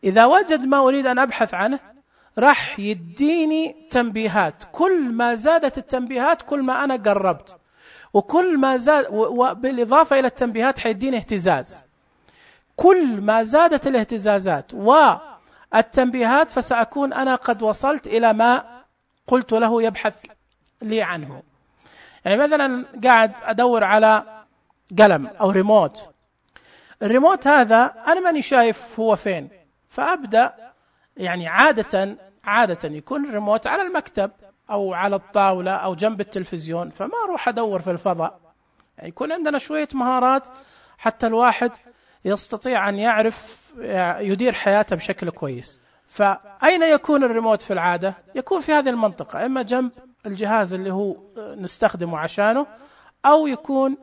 إذا وجد ما أريد أن أبحث عنه راح يديني تنبيهات. كل ما زادت التنبيهات كل ما أنا قربت، وكل ما زاد وبالإضافة إلى التنبيهات حيديني اهتزاز. كل ما زادت الاهتزازات والتنبيهات فسأكون أنا قد وصلت إلى ما قلت له يبحث لي عنه. يعني مثلا قاعد أدور على قلم أو ريموت، الريموت هذا أنا ماني شايف هو فين، فأبدأ يعني عادة يكون الريموت على المكتب أو على الطاولة أو جنب التلفزيون، فما أروح أدور في الفضاء. يعني يكون عندنا شوية مهارات حتى الواحد يستطيع أن يعرف يدير حياته بشكل كويس. فأين يكون الريموت في العادة؟ يكون في هذه المنطقة، إما جنب الجهاز اللي هو نستخدمه عشانه، أو يكون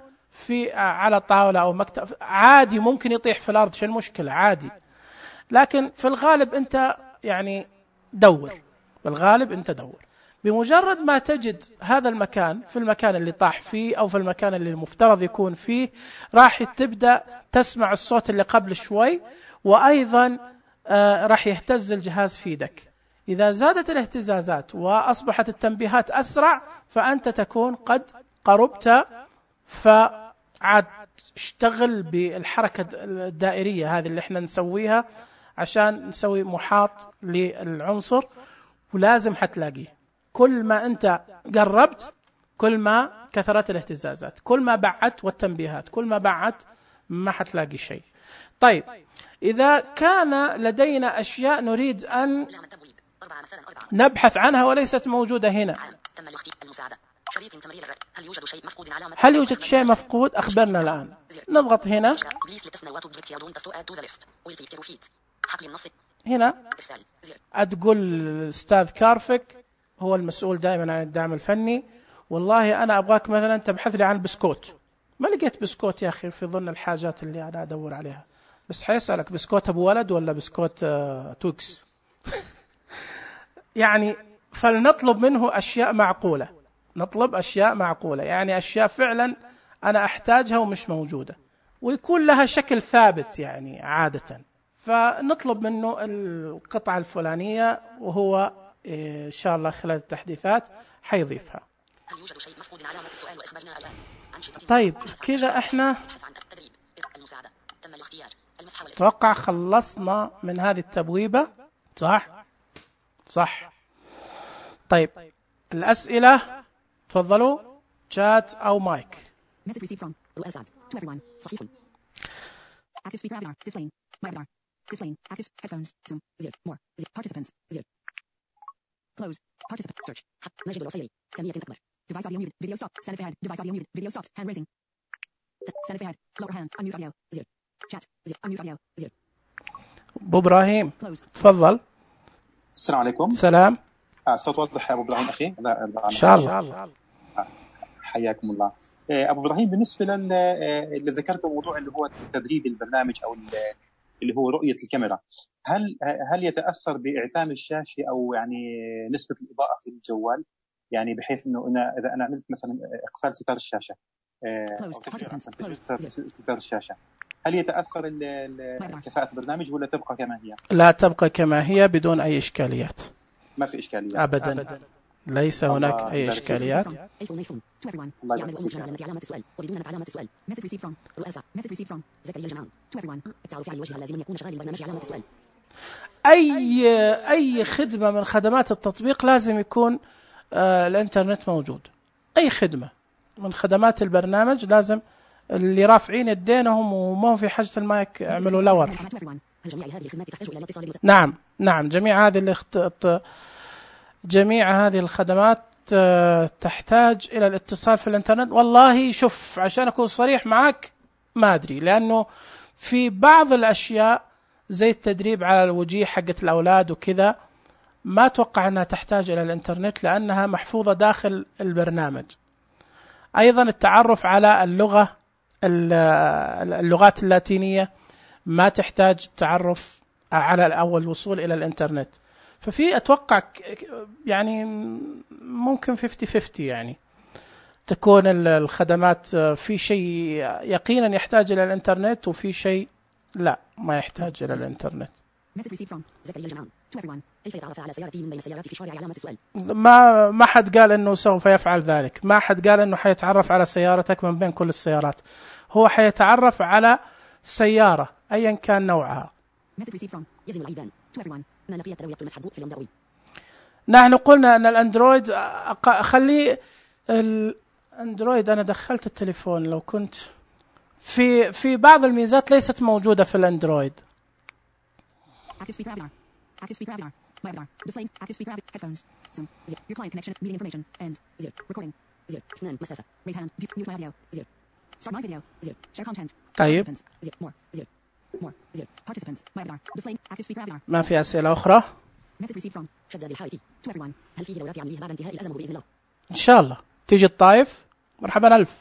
على طاولة أو مكتب. عادي ممكن يطيح في الأرض، شو المشكلة؟ عادي. لكن في الغالب أنت يعني دور، بالغالب أنت دور. بمجرد ما تجد هذا المكان في المكان اللي طاح فيه أو في المكان اللي المفترض يكون فيه، راح تبدأ تسمع الصوت اللي قبل شوي، وأيضا راح يهتز الجهاز في يدك. إذا زادت الاهتزازات وأصبحت التنبيهات أسرع فأنت تكون قد قربت، فعاد اشتغل بالحركة الدائرية هذه اللي احنا نسويها عشان نسوي محاط للعنصر، ولازم حتلاقيه. كل ما أنت قربت كل ما كثرت الاهتزازات، كل ما بعدت والتنبيهات كل ما بعدت ما حتلاقي شيء. طيب إذا كان لدينا أشياء نريد أن نبحث عنها وليست موجودة هنا، هل يوجد شيء مفقود؟ أخبرنا الآن. نضغط هنا. هنا أتقول الأستاذ كارفك هو المسؤول دائما عن الدعم الفني، والله أنا أبغاك مثلا تبحث لي عن بسكوت. ما لقيت بسكوت يا أخي في ضمن الحاجات اللي أنا أدور عليها، بس حيسألك بسكوت أبو ولد ولا بسكوت توكس. يعني فلنطلب منه أشياء معقولة، نطلب أشياء معقولة، يعني أشياء فعلا أنا أحتاجها ومش موجودة، ويكون لها شكل ثابت يعني عادة. فنطلب منه القطعة الفلانية، وهو إن شاء الله خلال التحديثات حيضيفها. طيب كذا احنا توقع خلصنا من هذه التبويبة، صح. طيب الأسئلة تفضلوا، شات أو مايك. Active speaker webinar. Displaying. My webinar. Displaying. Active headphones. Zoom. 0. More. 0. Participants. 0. Close. Participant. Search. مجد الوصيري. سمية أكبر. Device audio muted. Video stopped. Send ahead. Device audio muted. Video stopped. Hand raising. Send ahead. Lower hand. Unmute audio. 0. Chat. 0. Unmute audio. 0. أبو إبراهيم. تفضل. السلام عليكم. سلام. صوت واضح يا أبو إبراهيم أخي؟ إن شاء الله. حياكم الله. أبو إبراهيم، بالنسبة اللي ذكرته موضوع اللي هو تدريب البرنامج أو اللي هو رؤية الكاميرا، هل يتأثر بإعتام الشاشة أو يعني نسبة الإضاءة في الجوال؟ يعني بحيث إنه إذا أنا عملت مثلا إقفال ستار الشاشة أو ستار الشاشة، هل يتأثر كفاءة البرنامج ولا تبقى كما هي؟ لا، تبقى كما هي بدون أي إشكاليات. ما في إشكاليات أبدا. ليس هناك أي يبارك فيك. إشكاليات. الله يعمل يبارك أم فيك. علامة علامة السؤال وبدون علامة السؤال. Method received from رؤاسة. Method received from زكريا الجمعان. To everyone. التعرف على الوجه لازم يكون شغال البرنامج علامة السؤال. أي خدمة من خدمات التطبيق لازم يكون الإنترنت موجود. أي خدمة من خدمات البرنامج لازم اللي رافعين يدينهم وما في حاجة المايك يعملوا لور. جميع هذه الخدمات تحتاج إلى الاتصال نعم جميع هذه الخدمات تحتاج إلى الاتصال في الإنترنت. والله شوف عشان أكون صريح معك ما أدري، لأنه في بعض الأشياء زي التدريب على الوجيه حقت الأولاد وكذا ما أتوقع أنها تحتاج إلى الإنترنت لأنها محفوظة داخل البرنامج. أيضا التعرف على اللغات اللاتينية ما تحتاج تعرف على أول وصول إلى الإنترنت. ففي أتوقع يعني ممكن 50-50 يعني تكون الخدمات في شيء يقينا يحتاج إلى الإنترنت وفي شيء لا ما يحتاج إلى الإنترنت. زكريا الجمعان. To everyone. كيف يتعرف على سيارتي من بين السيارات في شارع علامة السؤال. ما حد قال إنه سوف يفعل ذلك، ما حد قال إنه حيتعرف على سيارتك من بين كل السيارات، هو حيتعرف على سيارة أيا كان نوعها. يزن العيدان. To everyone. ما لقي التلوية المسحب في اليوم. نحن قلنا أن الأندرويد خلي الأندرويد أنا دخلت التليفون لو كنت في بعض الميزات ليست موجودة في الأندرويد. Active speaker avatar. Webinar. Display. Active speaker headphones. Zoom. Zero. Your client connection. Meeting information. End. Zero. Recording. Zero. اثنان مسافة. Raise hand. Mute my audio. Zero. Start my video. Zero. Share content. طيب. Zero. More. Zero. More. Zero. Participants. Webinar. Display. Active speaker avatar. ما في أسئلة أخرى؟ Message received from شداد الحائطي. To everyone. هل فيه دورات عملية بعد انتهاء الأزمة بإذن الله؟ إن شاء الله تيجي الطائف مرحبا ألف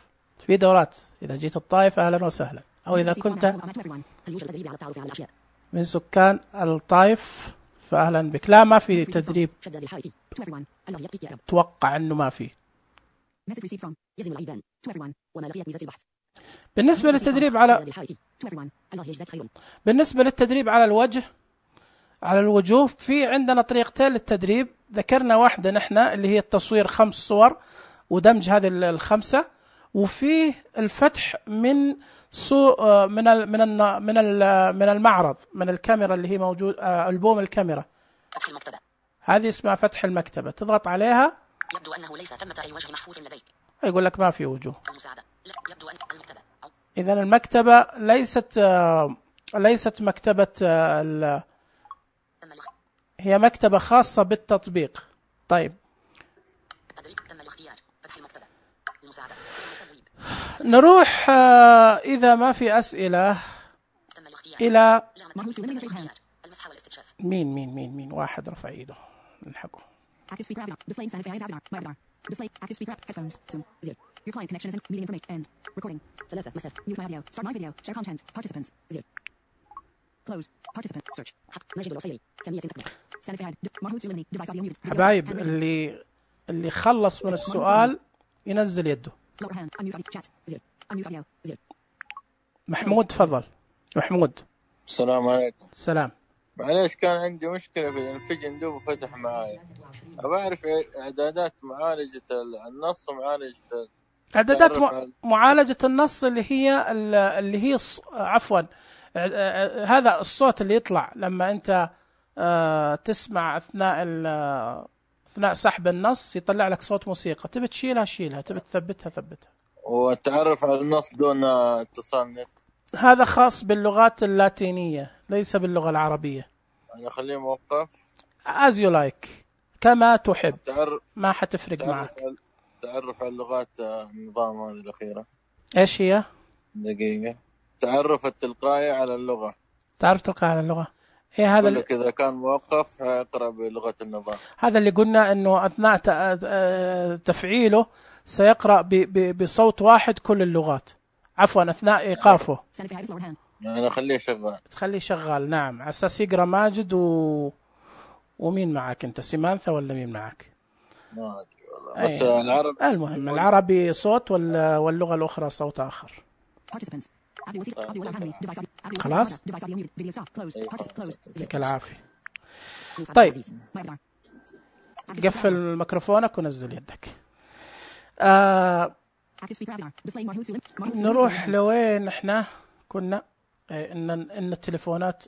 في دورات. إذا جيت الطائف أهلا وسهلا، أو إذا كنت هل يوجد تدريب على التعرف على الأشياء؟ من سكان الطائف فأهلا بك. لا ما في تدريب، شداد الحائطي. To everyone. الله يبقيك يا رب. توقع أنه ما في. Message received from يزن العيدان. To everyone. وما لقيت ميزة البحث. بالنسبة للتدريب على To everyone. الله يجزاك خير. بالنسبة للتدريب على الوجه على الوجوه في عندنا طريقتين للتدريب. ذكرنا واحدة نحن اللي هي التصوير 5 صور ودمج هذه الخمسة، وفيه الفتح من من المعرض من الكاميرا اللي هي موجود ألبوم الكاميرا. فتح المكتبة. هذه اسمها فتح المكتبة، تضغط عليها يبدو أنه ليس ثمة أي وجه محفوظ لديك. يقول لك ما في وجوه. المساعدة. لا يبدو أن المكتبة. إذا المكتبة ليست مكتبة هي مكتبة خاصة بالتطبيق. طيب التدريب تم الاختيار. فتح المكتبة. المساعدة. نروح إذا ما في أسئلة تم الاختيار. إلى المسح والاستكشاف. مين واحد رفع ايده نلحقه. Active speaker avatar. Display sanitize avatar. Webinar. Display active speaker headphones. Zoom. Zero. Your client connection is in meeting information. End. Recording. 3 مسافة. Mute my audio. Start my video. Share content. Participants. Zero. Close. Participant. Search. حق. ماجد الوصيري. سامية تقنية. Sanitize. Mahmoud Sulemani. Device audio muted. حبايب اللي خلص من السؤال ينزل يده. Lower hand. Unmute audio. Chat. Zero. Unmute audio. Zero. محمود تفضل. محمود. السلام عليكم. سلام. معليش كان عندي مشكلة في الانفجن دوب فتح معايا. أبغى أعرف إعدادات معالجة النص ومعالجة إعدادات معالجة النص اللي هي عفوا هذا الصوت اللي يطلع لما أنت تسمع أثناء سحب النص يطلع لك صوت موسيقى، تبي تشيلها شيلها، تبي تثبتها. والتعرف على النص دون اتصال نت هذا خاص باللغات اللاتينية ليس باللغة العربية. أنا أخليه موقف as you like كما تحب، ما حتفرق معك. تعرف على اللغات النظام هذه الأخيرة إيش هي؟ دقيقة. تعرف التلقائي على اللغة. تعرف تلقائي على اللغة إيه هذا؟ إذا كان موقف هيقرأ بلغة النظام. هذا اللي قلنا إنه أثناء تفعيله سيقرأ بصوت واحد كل اللغات، عفوا أثناء إيقافه. يعني أخليه شغال. تخليه شغال نعم، على أساس يقرأ ماجد ومين معك أنت؟ سيمانثا ولا مين معك؟ ما أدري والله. بس العربي المهم العربي صوت واللغة الأخرى صوت آخر. خلاص يعطيك العافية. طيب قفل ميكروفونك ونزل يدك. نروح لوين احنا كنا؟ ان التليفونات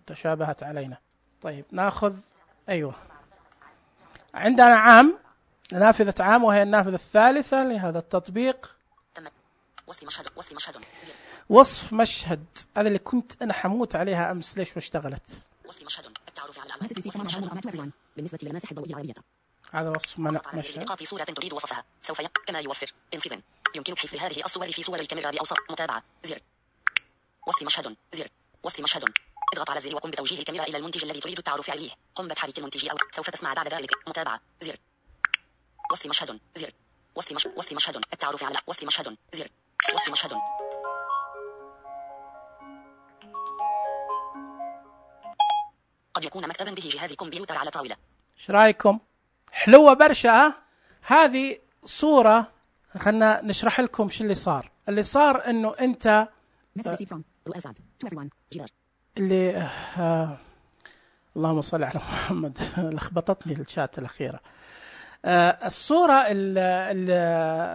تشابهت علينا. طيب ناخذ ايوه، عندنا عام، نافذة عام، وهي النافذة الثالثة لهذا التطبيق. وصف مشهد، هذا اللي كنت انا حموت عليها امس، ليش ما اشتغلت؟ وصف مشهد، التعرف على الأعمال. بالنسبة للمساحة الضوئية العالية، هذا وصف مشهد. إلقاء صورة تريد وصفها سوف كما يوفر انفذ. يمكنك حفظ هذه الصور في صور الكاميرا بأوسط متابعة. زر وصف مشهد، زر وصف مشهد. اضغط على الزر وقم بتوجيه الكاميرا إلى المنتج الذي تريد التعرف عليه. قم بتحريك المنتج أو سوف تسمع بعد ذلك متابعة. زر وصف مشهد، زر وصف مشهد، التعرف على وصف مشهد، زر وصف مشهد. قد يكون مكتبا به جهاز كمبيوتر على طاولة. ايش رايكم؟ حلوة برشا. هذه صورة، خلنا نشرح لكم شو اللي صار. اللي صار انه انت اللي اللهم صل على محمد لخبطتني الشات الأخيرة. الصورة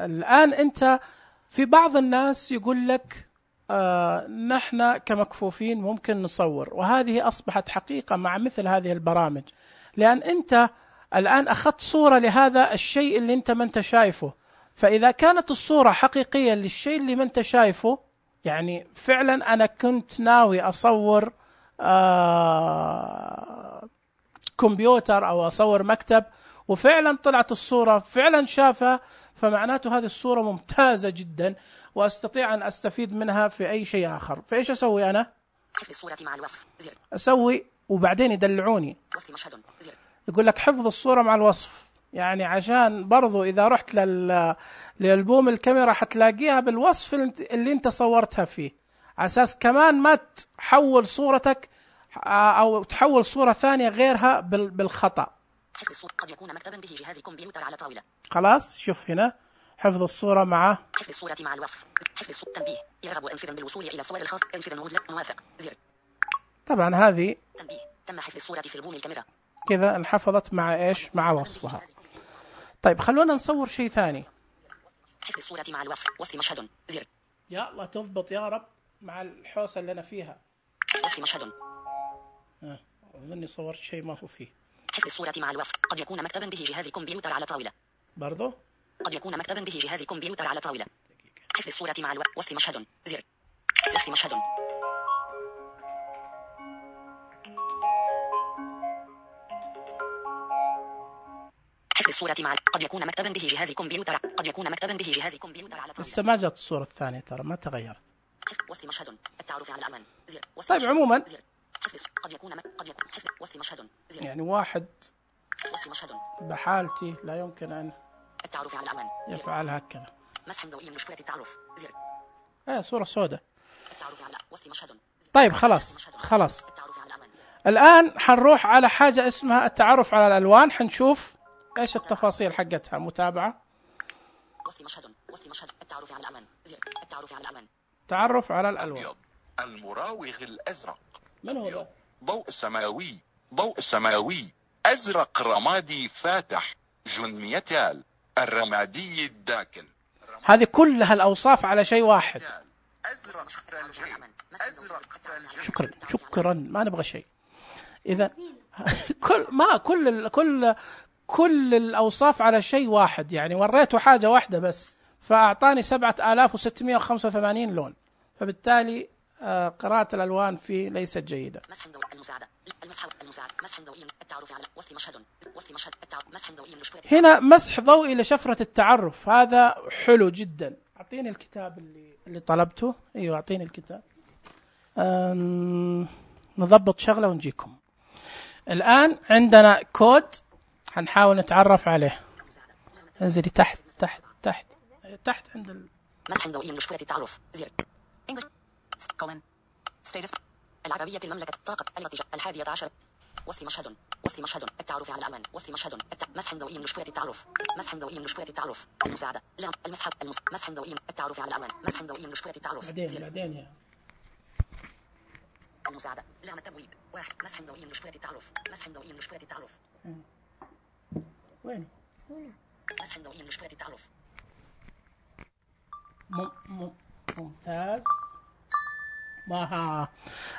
الآن أنت في بعض الناس يقول لك نحن كمكفوفين ممكن نصور، وهذه أصبحت حقيقة مع مثل هذه البرامج، لأن أنت الآن أخذت صورة لهذا الشيء اللي أنت ما أنت شايفه. فإذا كانت الصورة حقيقية للشيء اللي ما أنت شايفه، يعني فعلا أنا كنت ناوي أصور كمبيوتر أو أصور مكتب، وفعلا طلعت الصورة فعلا شافها، فمعناته هذه الصورة ممتازة جدا وأستطيع أن أستفيد منها في أي شيء آخر. فإيش أسوي أنا؟ حفظ الصورة مع الوصف، زر. أسوي وبعدين يدلعوني، وصف مشهد، زر. يقول لك حفظ الصورة مع الوصف، يعني عشان برضو إذا رحت للبوم الكاميرا حتلاقيها بالوصف اللي أنت صورتها فيه، على أساس كمان ما تحول صورتك أو تحول صورة ثانية غيرها بالخطأ. حفظ الصورة قد يكون مكتبا به جهاز كمبيوتر على طاولة. خلاص شوف هنا حفظ الصورة مع حفظ الصورة مع الوصف، حفظ الصورة تنبيه يرغب أنفذا بالوصول إلى الصور الخاصة، أنفذ موافق، زر. طبعا هذه تنبيه تم حفظ الصورة في البوم الكاميرا. كذا انحفظت مع إيش؟ مع وصفها. طيب خلونا نصور شيء ثاني. حفظ الصورة مع الوصف، وصف مشهد، زر. يا الله تضبط يا رب مع الحوسة اللي أنا فيها. وصف مشهد. أظني صورت شيء ما هو فيه. حفظ الصورة مع الوصف قد يكون مكتبا به جهاز كمبيوتر على طاولة. برضو قد يكون مكتبا به جهاز كمبيوتر على طاولة. حفظ الصورة مع وصف مشهد، زر. وصف مشهد. حفظ الصورة مع قد يكون مكتبا به جهاز كمبيوتر، قد يكون مكتبا به جهاز كمبيوتر على طاولة. لسه ما جت الصورة الثانية، ترى ما تغيرت. وصف مشهد، التعرف على الأمان، زر. طيب عموما قد يكون حفظ وصف مشهد، زر. يعني واحد وصف مشهد بحالتي لا يمكن أن التعرف على الأمان، يفعل هكذا. مسح ضوئي لشفرة التعرف، زر. صورة سوداء. التعرف على وصف مشهد. طيب خلاص الآن حنروح على حاجة اسمها التعرف على الألوان، حنشوف إيش التفاصيل حقتها. متابعة. وصف مشهد، التعرف على الأمان، زر. التعرف على الأمان. تعرف على الألوان. أبيض، المراوغ الأزرق. من هو ده؟ ضوء سماوي، أزرق رمادي فاتح، جن ميتال، الرمادي الداكن. هذه كلها الأوصاف على شيء واحد. أزرق ثلجي، شكرا ما نبغى شيء. إذا كل الأوصاف على شيء واحد، يعني وريته حاجة واحدة بس فأعطاني 7685 لون، فبالتالي قراءة الألوان فيه ليست جيدة. مسح ضوئي المساعدة، مسح ضوئي التعرف على وصف مشهد، مسح ضوئي لشفرة. هنا مسح ضوئي لشفرة التعرف، هذا حلو جدا. أعطيني الكتاب اللي طلبته. أيوة أعطيني الكتاب. نضبط شغلة ونجيكم. الآن عندنا كود حنحاول نتعرف عليه. انزلي تحت عند مسح ضوئي لشفرة التعرف، زر. كومن ستيتس العربية المملكة الطاقة الحادية عشر. وصف مشهد، التعرف على الأمان، وصف مشهد، مسح ضوئي لشفرة التعرف، المساعدة، لا مسح ضوئي التعرف على الأمان، مسح ضوئي لشفرة التعرف. بعدين يا المساعدة، لا التبويب، واحد. مسح ضوئي لشفرة التعرف، وين مسح ضوئي لمشكلة التعرف. ممتاز. ما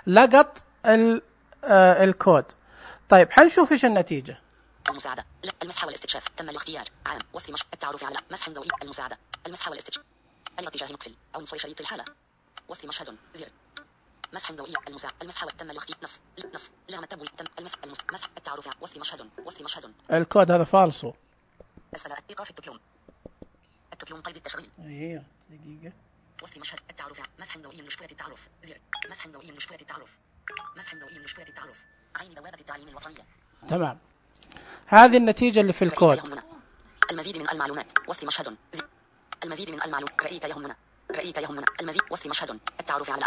لقط الكود. طيب حنشوف ايش النتيجة. المساعدة. لا. المسح والاستكشاف. تم الاختيار. عام. وصف التعرف على مسح ضوئي. المساعدة. المسح والاستكشاف. الاتجاه مقفل. عنصر شريط الحالة. وصف مشهد. زر. مسح ضوئي. المساعدة. المسح تم الاختيار. نص لغم التبويب. تم مسح التعرف على وصف مشهد. الكود هذا فالصو. أسفل إيقاف التكلم قيد التشغيل. ايوه دقيقة. وصف مشهد التعرف على مسح ضوئي لمشكلة التعرف. زر. مسح ضوئي لمشكلة التعرف. مسح ضوئي لمشكلة التعرف. عين بوابة التعليم الوطنية. تمام. هذه النتيجة اللي في الكود. المزيد من المعلومات. وصف مشهد. المزيد من المعلومات. رأيك يهمنا. المزيد. وصف مشهد. التعرف على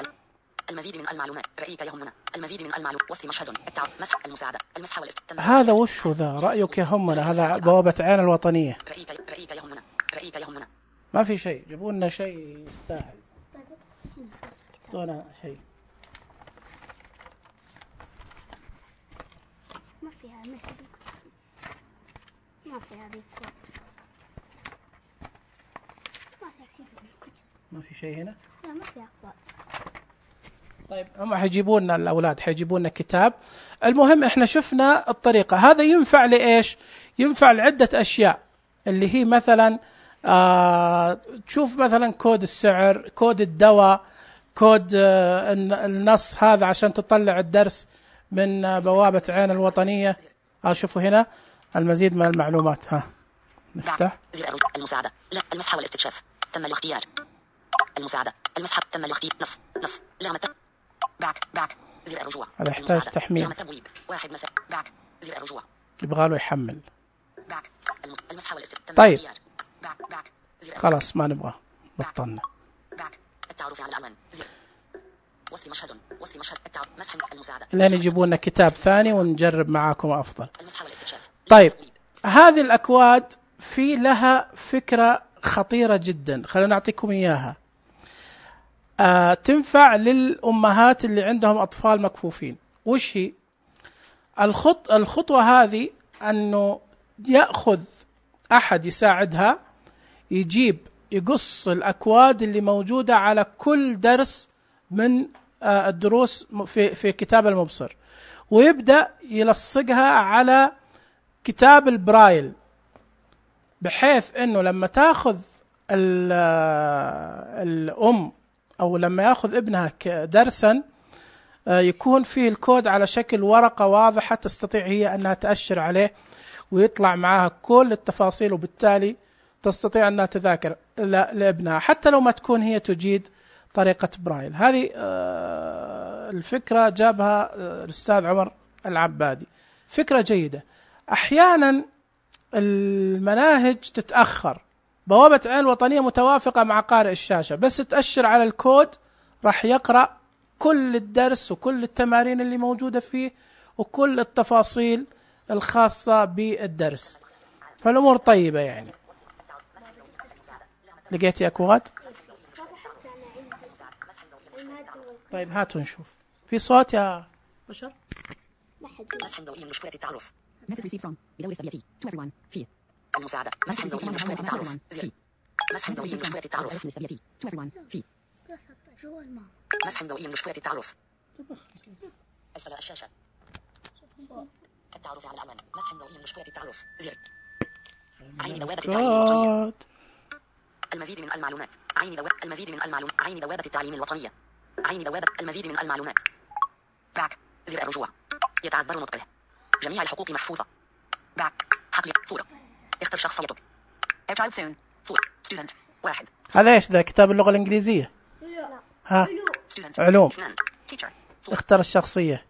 المزيد من المعلومات. رأيك يهمنا. المزيد من المعلومات. وصف مشهد. التعرف. مسح المساعدة. المسح هذا وش ذا؟ رأيك يهمنا. هذا بوابة عين الوطنية. رأيك يهمنا. ما في شيء. جيبوا لنا شيء يستاهل. اعطونا شيء. ما فيها مثل. ما فيها ريكورد. ما فيها شيء في الكتب. ما في شيء هنا. لا ما فيها أخبار. طيب هم حيجيبوا لنا الأولاد حيجيبوا لنا كتاب. المهم إحنا شفنا الطريقة. هذا ينفع لإيش؟ ينفع لعدة أشياء اللي هي مثلا تشوف مثلا كود السعر، كود الدواء، كود النص هذا عشان تطلع الدرس من بوابة عين الوطنية. شوفوا هنا المزيد من المعلومات. نفتح. المساعدة. لا. المسح والاستكشاف. تم الاختيار. المساعدة. المسح تم الاختيار. نص لغم باك زر الرجوع. هذا يحتاج تحميل. لغم التبويب. واحد مسح باك زر الرجوع. يبغى له يحمل. باك. المسح والاستكشاف. طيب باك خلاص ما نبغى بطلنا. باك. التعرف على الألوان. زر. وصف مشهد. التعرف. مسح المساعدة. لين يجيبوا لنا كتاب ثاني ونجرب معاكم أفضل. المسح والاستكشاف. طيب هذه الأكواد في لها فكرة خطيرة جدا. خلونا نعطيكم إياها. تنفع للأمهات اللي عندهم أطفال مكفوفين. وش هي الخطوة هذه؟ أنه يأخذ أحد يساعدها يقص الأكواد اللي موجودة على كل درس من الدروس في كتاب المبصر، ويبدأ يلصقها على كتاب البرايل، بحيث أنه لما تأخذ الأم أو لما يأخذ ابنها درسا يكون فيه الكود على شكل ورقة واضحة تستطيع هي أنها تأشر عليه ويطلع معها كل التفاصيل، وبالتالي تستطيع أنها تذاكر لابنها حتى لو ما تكون هي تجيد طريقة برايل. هذه الفكرة جابها الأستاذ عمر العبادي، فكرة جيدة. أحيانا المناهج تتأخر، بوابة عين الوطنية متوافقة مع قارئ الشاشة، بس تأشر على الكود راح يقرأ كل الدرس وكل التمارين اللي موجودة فيه وكل التفاصيل الخاصة بالدرس، فالأمور طيبة يعني. لقيت يا أكواد؟ طيب هاتوا نشوف. في صوت يا بشر؟ مسح ضوئي لمشكلة التعرف. Message received from بدور الثبيتي to everyone في المساعدة. مسح ضوئي لمشكلة التعرف. مسح ضوئي لمشكلة التعرف to everyone في مسح ضوئي لمشكلة التعرف. أسفل الشاشة. التعرف على الألوان. مسح ضوئي لمشكلة التعرف. زر. عين بوابة التعليم الوطنية. المزيد من المعلومات. المزيد من المعلومات. عين بوابة التعليم الوطنية. عين بوابة المزيد من المعلومات. باك زر الرجوع. يتعذر نطقه. جميع الحقوق محفوظة. باك حقل صورة. اختر شخصيتك. Child soon. صورة. Student. 1. هذا ايش ذا؟ كتاب اللغة الإنجليزية؟ ها؟ علوم. Teacher. اختر الشخصية.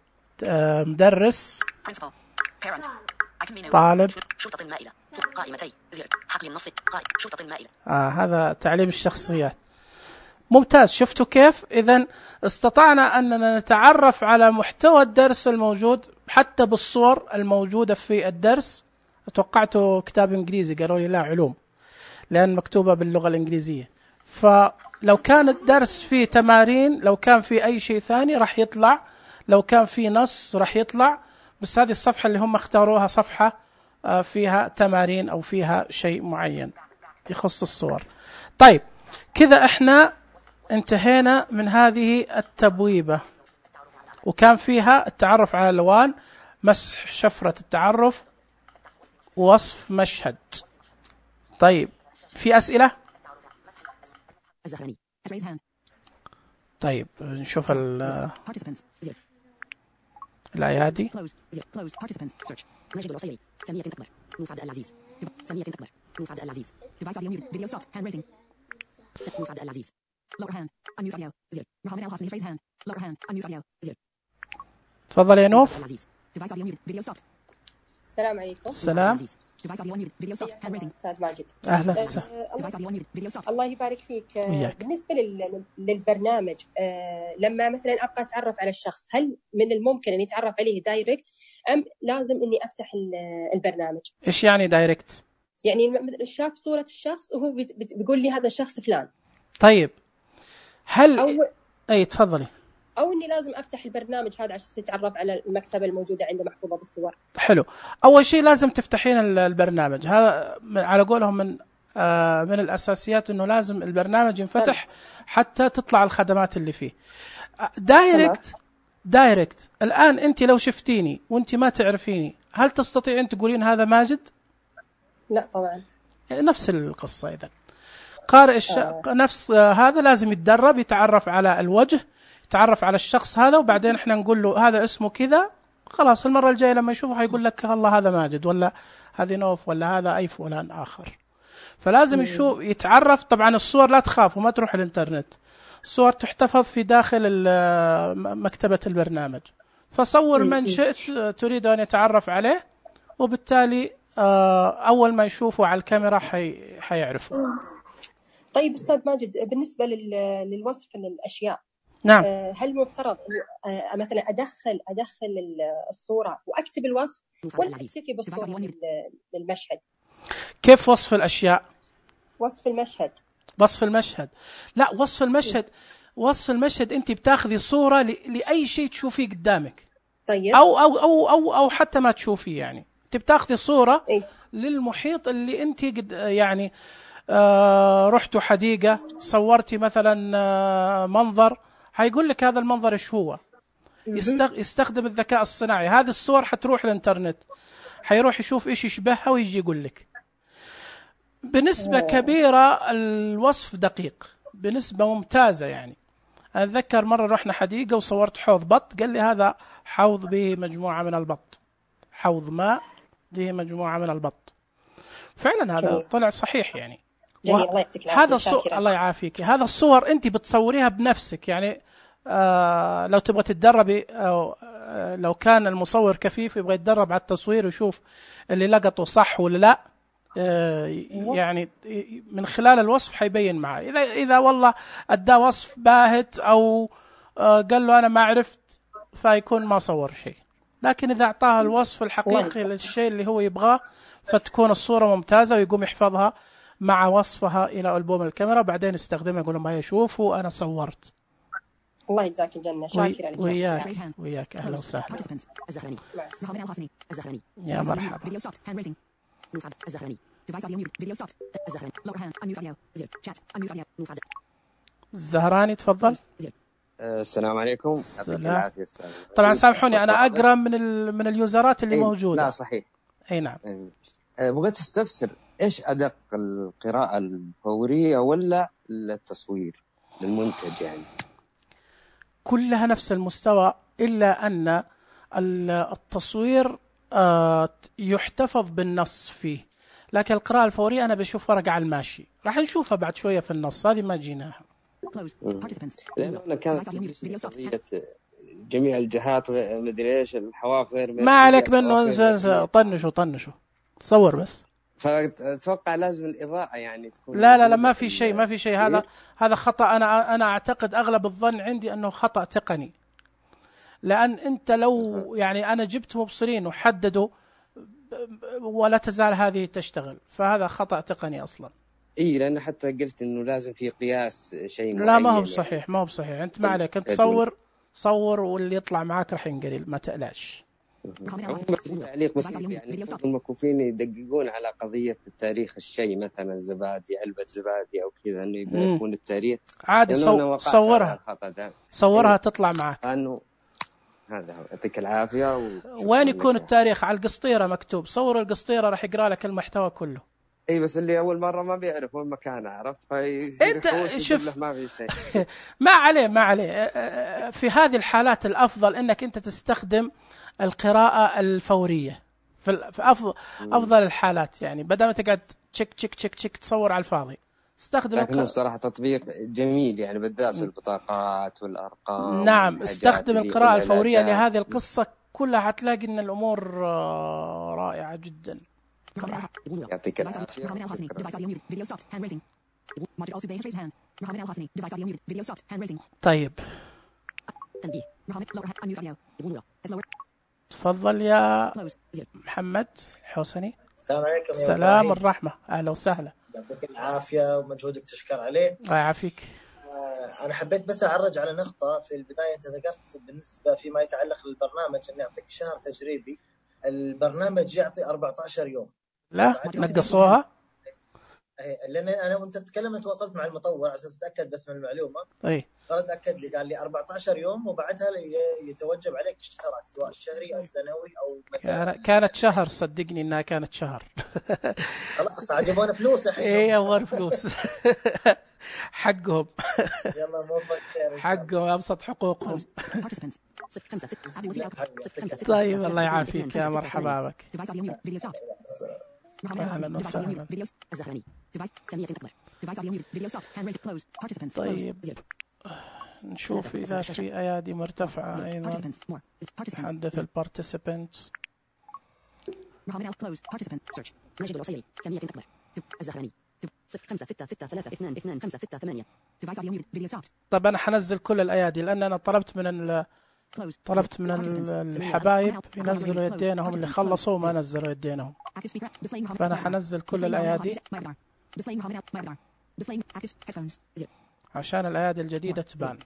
مدرس. Principal. Parent. طالب. شرطة المائلة. قائمتي. زر. حقل النص. شرطة المائلة. هذا تعليم الشخصيات. ممتاز. شفتوا كيف؟ إذن استطعنا أننا نتعرف على محتوى الدرس الموجود حتى بالصور الموجودة في الدرس. توقعته كتاب إنجليزي، قالوا لي لا علوم، لأن مكتوبة باللغة الإنجليزية. فلو كان الدرس فيه تمارين، لو كان فيه أي شيء ثاني راح يطلع، لو كان فيه نص راح يطلع. بس هذه الصفحة اللي هم اختاروها صفحة فيها تمارين أو فيها شيء معين يخص الصور. طيب كذا احنا انتهينا من هذه التبويبة، وكان فيها التعرف على الألوان، مسح شفرة التعرف، ووصف مشهد. طيب في أسئلة؟ طيب نشوف الأيادي. ماجد العصيري، سامية أكبر، نوف عبد العزيز، سامية أكبر، نوف عبد العزيز، device audio muted, video stopped, hand raising, نوف عبد العزيز, lower hand, unmute audio, زر, رهام الحسني raise hand, lower hand, unmute audio, زر. تفضل يا نوف. device audio muted, video stopped. السلام عليكم. السلام. device audio muted, video stopped, hand raising. أستاذ ماجد. أهلا device audio muted, video stopped. الله يبارك فيك. وياك. بالنسبة للبرنامج، لما مثلا أبغى أتعرف على الشخص، هل من الممكن أن يتعرف عليه دايركت أم لازم إني أفتح البرنامج؟ إيش يعني دايركت؟ يعني شاف صورة الشخص وهو بيقول لي هذا الشخص فلان. طيب هل أي تفضلي. أو إني لازم أفتح البرنامج هذا عشان أتعرف على المكتبة الموجودة عنده محفوظة بالصور. حلو. أول شيء لازم تفتحين البرنامج هذا، على قولهم من الأساسيات إنه لازم البرنامج ينفتح حتى تطلع الخدمات اللي فيه. دايركت الآن أنت لو شفتيني وأنت ما تعرفيني، هل تستطيعين تقولين هذا ماجد؟ لا طبعا. نفس القصة. إذا قارئ نفس هذا لازم يتدرب، يتعرف على الوجه، يتعرف على الشخص هذا، وبعدين احنا نقول له هذا اسمه كذا، خلاص المرة الجاية لما يشوفه هيقول لك الله هذا ماجد، ولا هذه نوف، ولا هذا أي فلان آخر. فلازم يشوف يتعرف. طبعا الصور لا تخاف وما تروح الانترنت، الصور تحتفظ في داخل مكتبة البرنامج، فصور من شئت تريد أن يتعرف عليه، وبالتالي أول ما يشوفه على الكاميرا حيعرفه. طيب أستاذ ماجد، بالنسبة للوصف للأشياء، نعم، هل مفترض مثلا أدخل الصورة وأكتب الوصف، ولا أكتفي بالصورة للمشهد؟ كيف وصف الأشياء؟ وصف المشهد. لا، وصف المشهد أنت بتاخذي صورة لأي شيء تشوفيه قدامك. طيب. أو حتى ما تشوفيه، يعني أنت بتاخذي صورة للمحيط اللي أنت يعني رحتوا حديقة، صورتي مثلا منظر، هيقول لك هذا المنظر إيش هو. يستخدم الذكاء الصناعي. هذه الصور حتروح الانترنت، حيروح يشوف إيش يشبهها ويجي يقول لك. بنسبة كبيرة الوصف دقيق، بنسبة ممتازة. يعني أتذكر مرة رحنا حديقة وصورت حوض بط، قال لي هذا حوض به مجموعة من البط، حوض ماء به مجموعة من البط. فعلا هذا طلع صحيح. يعني هذا الله يعافيك، هذا الصور أنت بتصوريها بنفسك. يعني لو تبغى تتدربي، أو لو كان المصور كفيف يبغى يتدرب على التصوير ويشوف اللي لقطه صح ولا لا، يعني من خلال الوصف حيبين معه. إذا والله أدى وصف باهت أو قال له أنا ما عرفت، فيكون ما صور شيء. لكن إذا أعطاه الوصف الحقيقي للشيء اللي هو يبغاه، فتكون الصورة ممتازة، ويقوم يحفظها مع وصفها إلى ألبوم الكاميرا، بعدين يستخدمها يقول لهم هيا شوفوا أنا صورت. الله يجزاك الجنة. شاكرا لك. وياك أهلا وسهلا. يا مرحبا. الزهراني تفضل. السلام عليكم. طبعا سامحوني أنا أقرأ من اليوزرات اللي موجودة. لا صحيح. أي نعم. بغيت استفسر إيش أدق، القراءة الفورية ولا التصوير للمنتج؟ يعني كلها نفس المستوى، إلا أن التصوير يحتفظ بالنص فيه، لكن القراءة الفورية أنا بشوف ورقة على الماشي، راح نشوفها بعد شوية في النص، هذه ما جيناها. لأنه كانت قضية جميع الجهات مدري إيش، الحواف غير ما عليك منه، طنشوا تصور بس. فأتوقع لازم الإضاءة يعني تكون. لا ما في شيء هذا خطأ. أنا أعتقد أغلب الظن عندي أنه خطأ تقني، لأن أنت لو يعني أنا جبت مبصرين وحددوا ولا تزال هذه تشتغل، فهذا خطأ تقني أصلا. لأن حتى قلت إنه لازم في قياس شيء معين. لا ما هو بصحيح. أنت ما عليك، أنت صور واللي يطلع معاك راح ينقلل، ما تقلقش. تعليق بسيط، يعني المكفوفين يدققون على قضية التاريخ الشيء، مثلا زبادي، علبة زبادي أو كذا، إنه يعرفون التاريخ عادي. صورها تطلع معك. أنه هذا هو. يعطيك العافية. وين يكون التاريخ؟ على القسطيرة مكتوب. صور القسطيرة راح يقرأ لك المحتوى كله. اي بس اللي اول مره ما بيعرف وين مكانه، عرفت؟ انت شوف ما في شيء. ما عليه. في هذه الحالات الافضل انك انت تستخدم القراءه الفوريه في افضل الحالات، يعني بدل ما تقعد تشك تصور على الفاضي، استخدم. لكنه صراحه تطبيق جميل، يعني بالذات البطاقات والارقام. نعم، استخدم القراءه الفوريه لهذه القصه كلها، حتلاقي ان الامور رائعه جدا. يعطيك العافية. طيب تفضل يا محمد الحوسني. السلام عليكم. السلام الرحمة، أهلا وسهلا. يعطيك العافية ومجهودك تشكر عليه. الله يعافيك. أنا حبيت بس أعرج على نقطة في البداية. أنت ذكرت بالنسبة فيما يتعلق بالبرنامج أن يعطيك شهر تجريبي. البرنامج يعطي 14 يوم. لا نقصوها، لأن أنا وأنت تتكلم تواصلت مع المطور على أساس أتأكد بس من المعلومة. فرد أكد لي، قال لي 14 يوم وبعدها يتوجب عليك اشتراك سواء شهري أو سنوي أو كانت شهر. صدقني إنها كانت شهر. خلاص عجبونا فلوس الحين. إيه يبغون فلوس. حقهم. يلا موفق خير. حقهم، أبسط حقوقهم. طيب الله يعافيك يا مرحبا بك. أهلا وسهلا. طيب نشوف إذا في أيادي مرتفعة أيضا. حدث البارتيسيبنت. ماجد العصيري، ثانية أكبر. الزهراني 0566322568. طب أنا حنزل كل الأيادي، لأن أنا طلبت من الحبايب ينزلوا يدينهم، اللي خلصوا ما نزلوا يدينهم، فأنا حنزل كل الأيادي عشان الأيادي الجديدة تبان.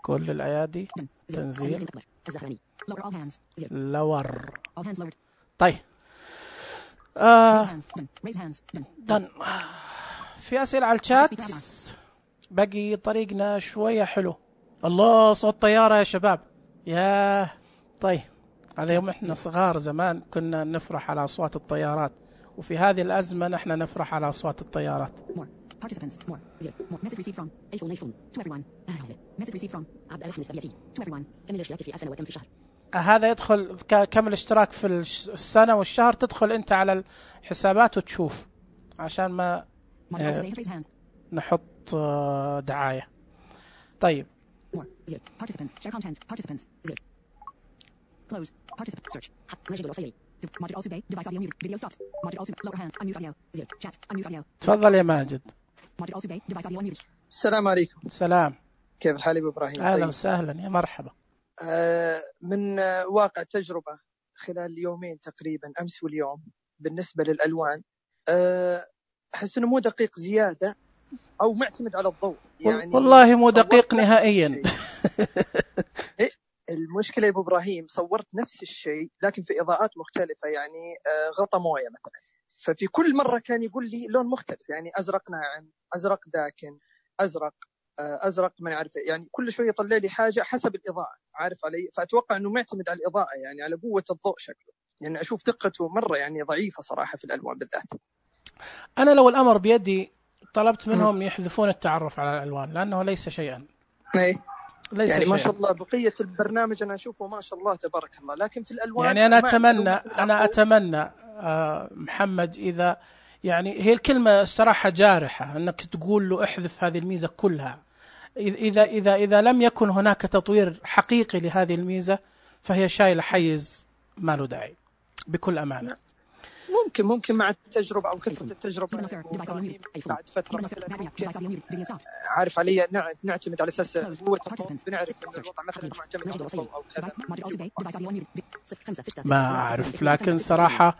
كل الأيادي تنزيل لور. طيب في أسئلة على الشات. بقي طريقنا شوية حلو. الله، صوت طيارة يا شباب. يا طيب، هذا يوم احنا صغار زمان كنا نفرح على أصوات الطيارات، وفي هذه الأزمة نحن نفرح على أصوات الطيارات. هذا يدخل كم الاشتراك في السنة والشهر، تدخل انت على الحسابات وتشوف، عشان ما نحط دعاية. طيب تفضل يا ماجد. السلام عليكم. السلام. كيف الحال يا ابو ابراهيم؟ اهلا وسهلا يا مرحبا. من واقع تجربة خلال يومين تقريبا، امس واليوم، بالنسبة للالوان احس انه مو دقيق زيادة او معتمد على الضوء. يعني والله مو دقيق نهائيا. المشكلة يا ابو ابراهيم، صورت نفس الشيء لكن في اضاءات مختلفة، يعني غطى موية مثلا، ففي كل مرة كان يقول لي لون مختلف، يعني ازرق ناعم، ازرق داكن، ازرق ما يعرف، يعني كل شوية يطلع لي حاجة حسب الاضاءة، عارف علي؟ فاتوقع انه معتمد على الاضاءة، يعني على قوة الضوء شكله، يعني اشوف دقته مرة يعني ضعيفة صراحة في الالوان بالذات. انا لو الامر بيدي طلبت منهم يحذفون التعرف على الالوان، لانه ليس شيئا. ليس يعني شيئا. ما شاء الله بقية البرنامج انا اشوفه ما شاء الله تبارك الله، لكن في الالوان يعني انا اتمنى محمد، اذا يعني هي الكلمة الصراحة جارحة انك تقول له احذف هذه الميزة كلها، اذا لم يكن هناك تطوير حقيقي لهذه الميزة فهي شايلة حيز ما له داعي بكل امانة. ممكن مع التجربة أو كثرة التجربة بعد فترة مثلا ممكن، عارف علي، نعتمد على أساس قوة الضوء، بنعرف إن الوضع مثلا معتمد على الضوء أو كذا. ما أعرف، لكن صراحة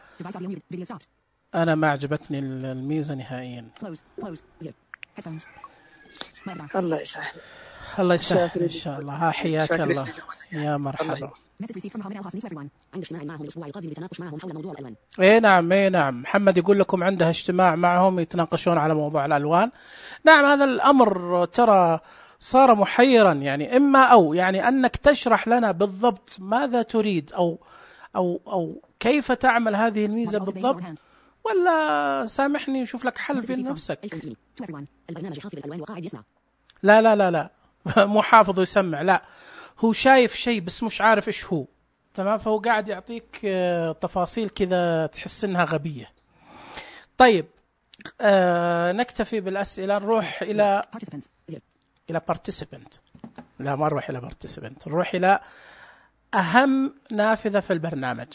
أنا ما عجبتني الميزة نهائيا. الله يسهل. الله يسهل إن شاء الله. حياك الله يا مرحبا. عند اجتماع معهم الأسبوع القادم للتناقش معهم حول موضوع الألوان. نعم محمد يقول لكم عنده اجتماع معهم يتناقشون على موضوع الألوان. نعم هذا الأمر ترى صار محيرا، يعني إما أو يعني أنك تشرح لنا بالضبط ماذا تريد أو كيف تعمل هذه الميزة بالضبط، ولا سامحني نشوف لك حل بين نفسك. البرنامج حافظ الألوان وقاعد يسمع. لا مو حافظ ويسمع، لا هو شايف شيء بس مش عارف إيش هو. تمام، فهو قاعد يعطيك تفاصيل كذا تحس إنها غبية. طيب نكتفي بالأسئلة، نروح إلى participant. لا ما نروح إلى participant، نروح إلى أهم نافذة في البرنامج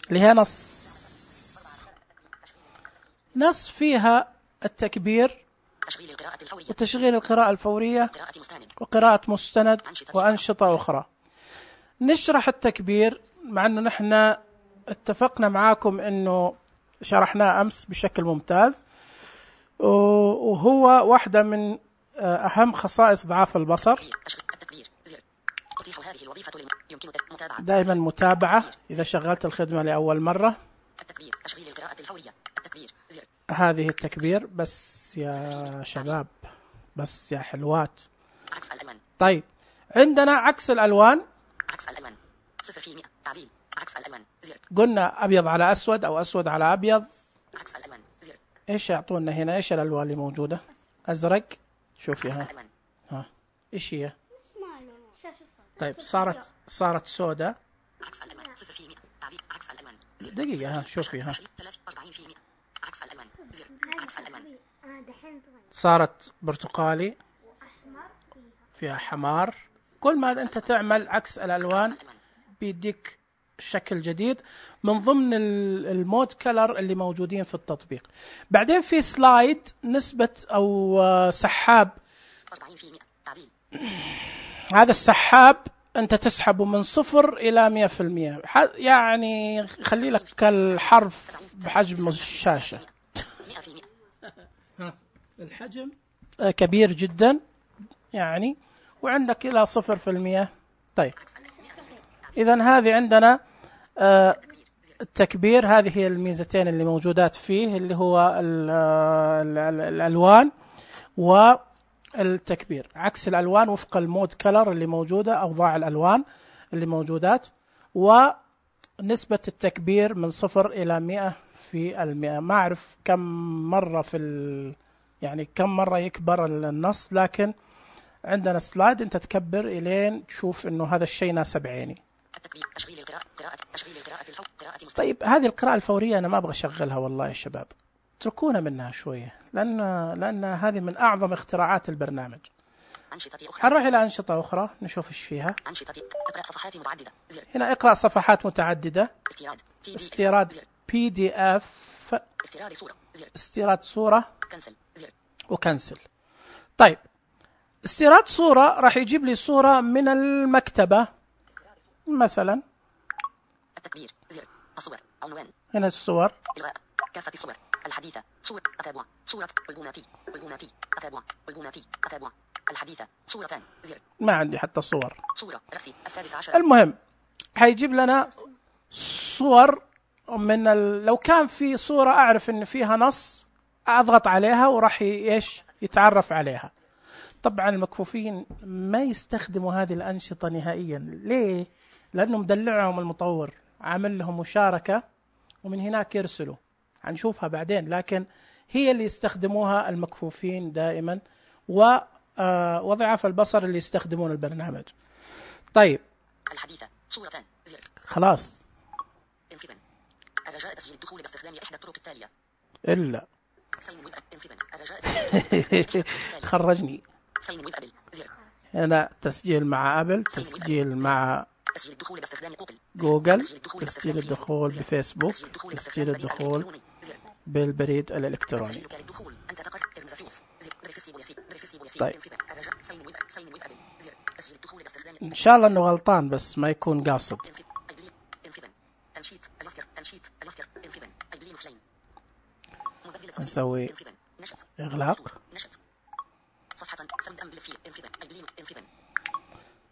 اللي هي نص فيها التكبير وتشغيل القراءة الفورية وقراءة مستند وأنشطة أخرى. نشرح التكبير مع أنه نحن اتفقنا معاكم أنه شرحناه أمس بشكل ممتاز، وهو واحدة من أهم خصائص ضعاف البصر. دائما متابعة إذا شغلت الخدمة لأول مرة. هذه التكبير بس يا شباب، بس يا حلوات. طيب عندنا عكس الألوان. قلنا أبيض على أسود أو أسود على أبيض. إيش يعطونا هنا؟ إيش الألوان اللي موجودة؟ أزرق. شوفي ها إيش هي؟ طيب صارت سوداء. دقيقة شوفي صارت برتقالي، فيها حمار. كل ما أنت تعمل عكس الألوان بيديك شكل جديد من ضمن المود كلر اللي موجودين في التطبيق. بعدين في سلايد نسبة أو سحاب. هذا السحاب أنت تسحبه من 0 إلى 100%، يعني خلي لك الحرف بحجم الشاشة. الحجم كبير جدا يعني، وعندك إلى 0%. طيب إذن هذه عندنا التكبير. هذه هي الميزتين اللي موجودات فيه، اللي هو الألوان والتكبير. عكس الألوان وفق المود كلر اللي موجودة، أوضاع الألوان اللي موجودات، ونسبة التكبير من 0 إلى 100%. ما أعرف كم مرة يعني كم مرة يكبر النص، لكن عندنا سلايد أنت تكبر إلين تشوف إنه هذا الشيء ناسب عيني. طيب هذه القراءة الفورية أنا ما أبغى أشغلها والله يا شباب، اتركونا منها شوية، لأن هذه من أعظم اختراعات البرنامج. هنروح إلى أنشطة أخرى نشوف إيش فيها. هنا اقرأ صفحات متعددة، استيراد PDF، استيراد صورة وكنسل. طيب استيراد صورة راح يجيب لي صورة من المكتبة مثلا. التكبير زر الصور عنوان. هنا الصور. إلغاء كافة الصور الحديثة. صورة أتابع. صورة والبوناتي أتابع. والبوناتي أتابع. الحديثة صورتان زر. ما عندي حتى صور. صورة رأسي 16. المهم هيجيب لنا صور من لو كان في صورة أعرف إن فيها نص أضغط عليها وراح يتعرف عليها. طبعا المكفوفين ما يستخدموا هذه الأنشطة نهائيا. ليه؟ لأنه مدلعهم المطور، عامل لهم مشاركة ومن هناك يرسلوا، هنشوفها بعدين، لكن هي اللي يستخدموها المكفوفين دائما وضعاف البصر اللي يستخدمون البرنامج. طيب الحديثة صورتان زر. خلاص. الرجاء تسجيل الدخول باستخدام إحدى الطرق التالية. إلا خرجني. هنا تسجيل مع أبل، تسجيل مع جوجل، تسجيل الدخول بفيسبوك، تسجيل الدخول بالبريد الإلكتروني. طيب إن شاء الله أنه غلطان بس ما يكون قاصد. نسوي إغلاق. صفحة سمد أم بالفيل انفذن أيبلين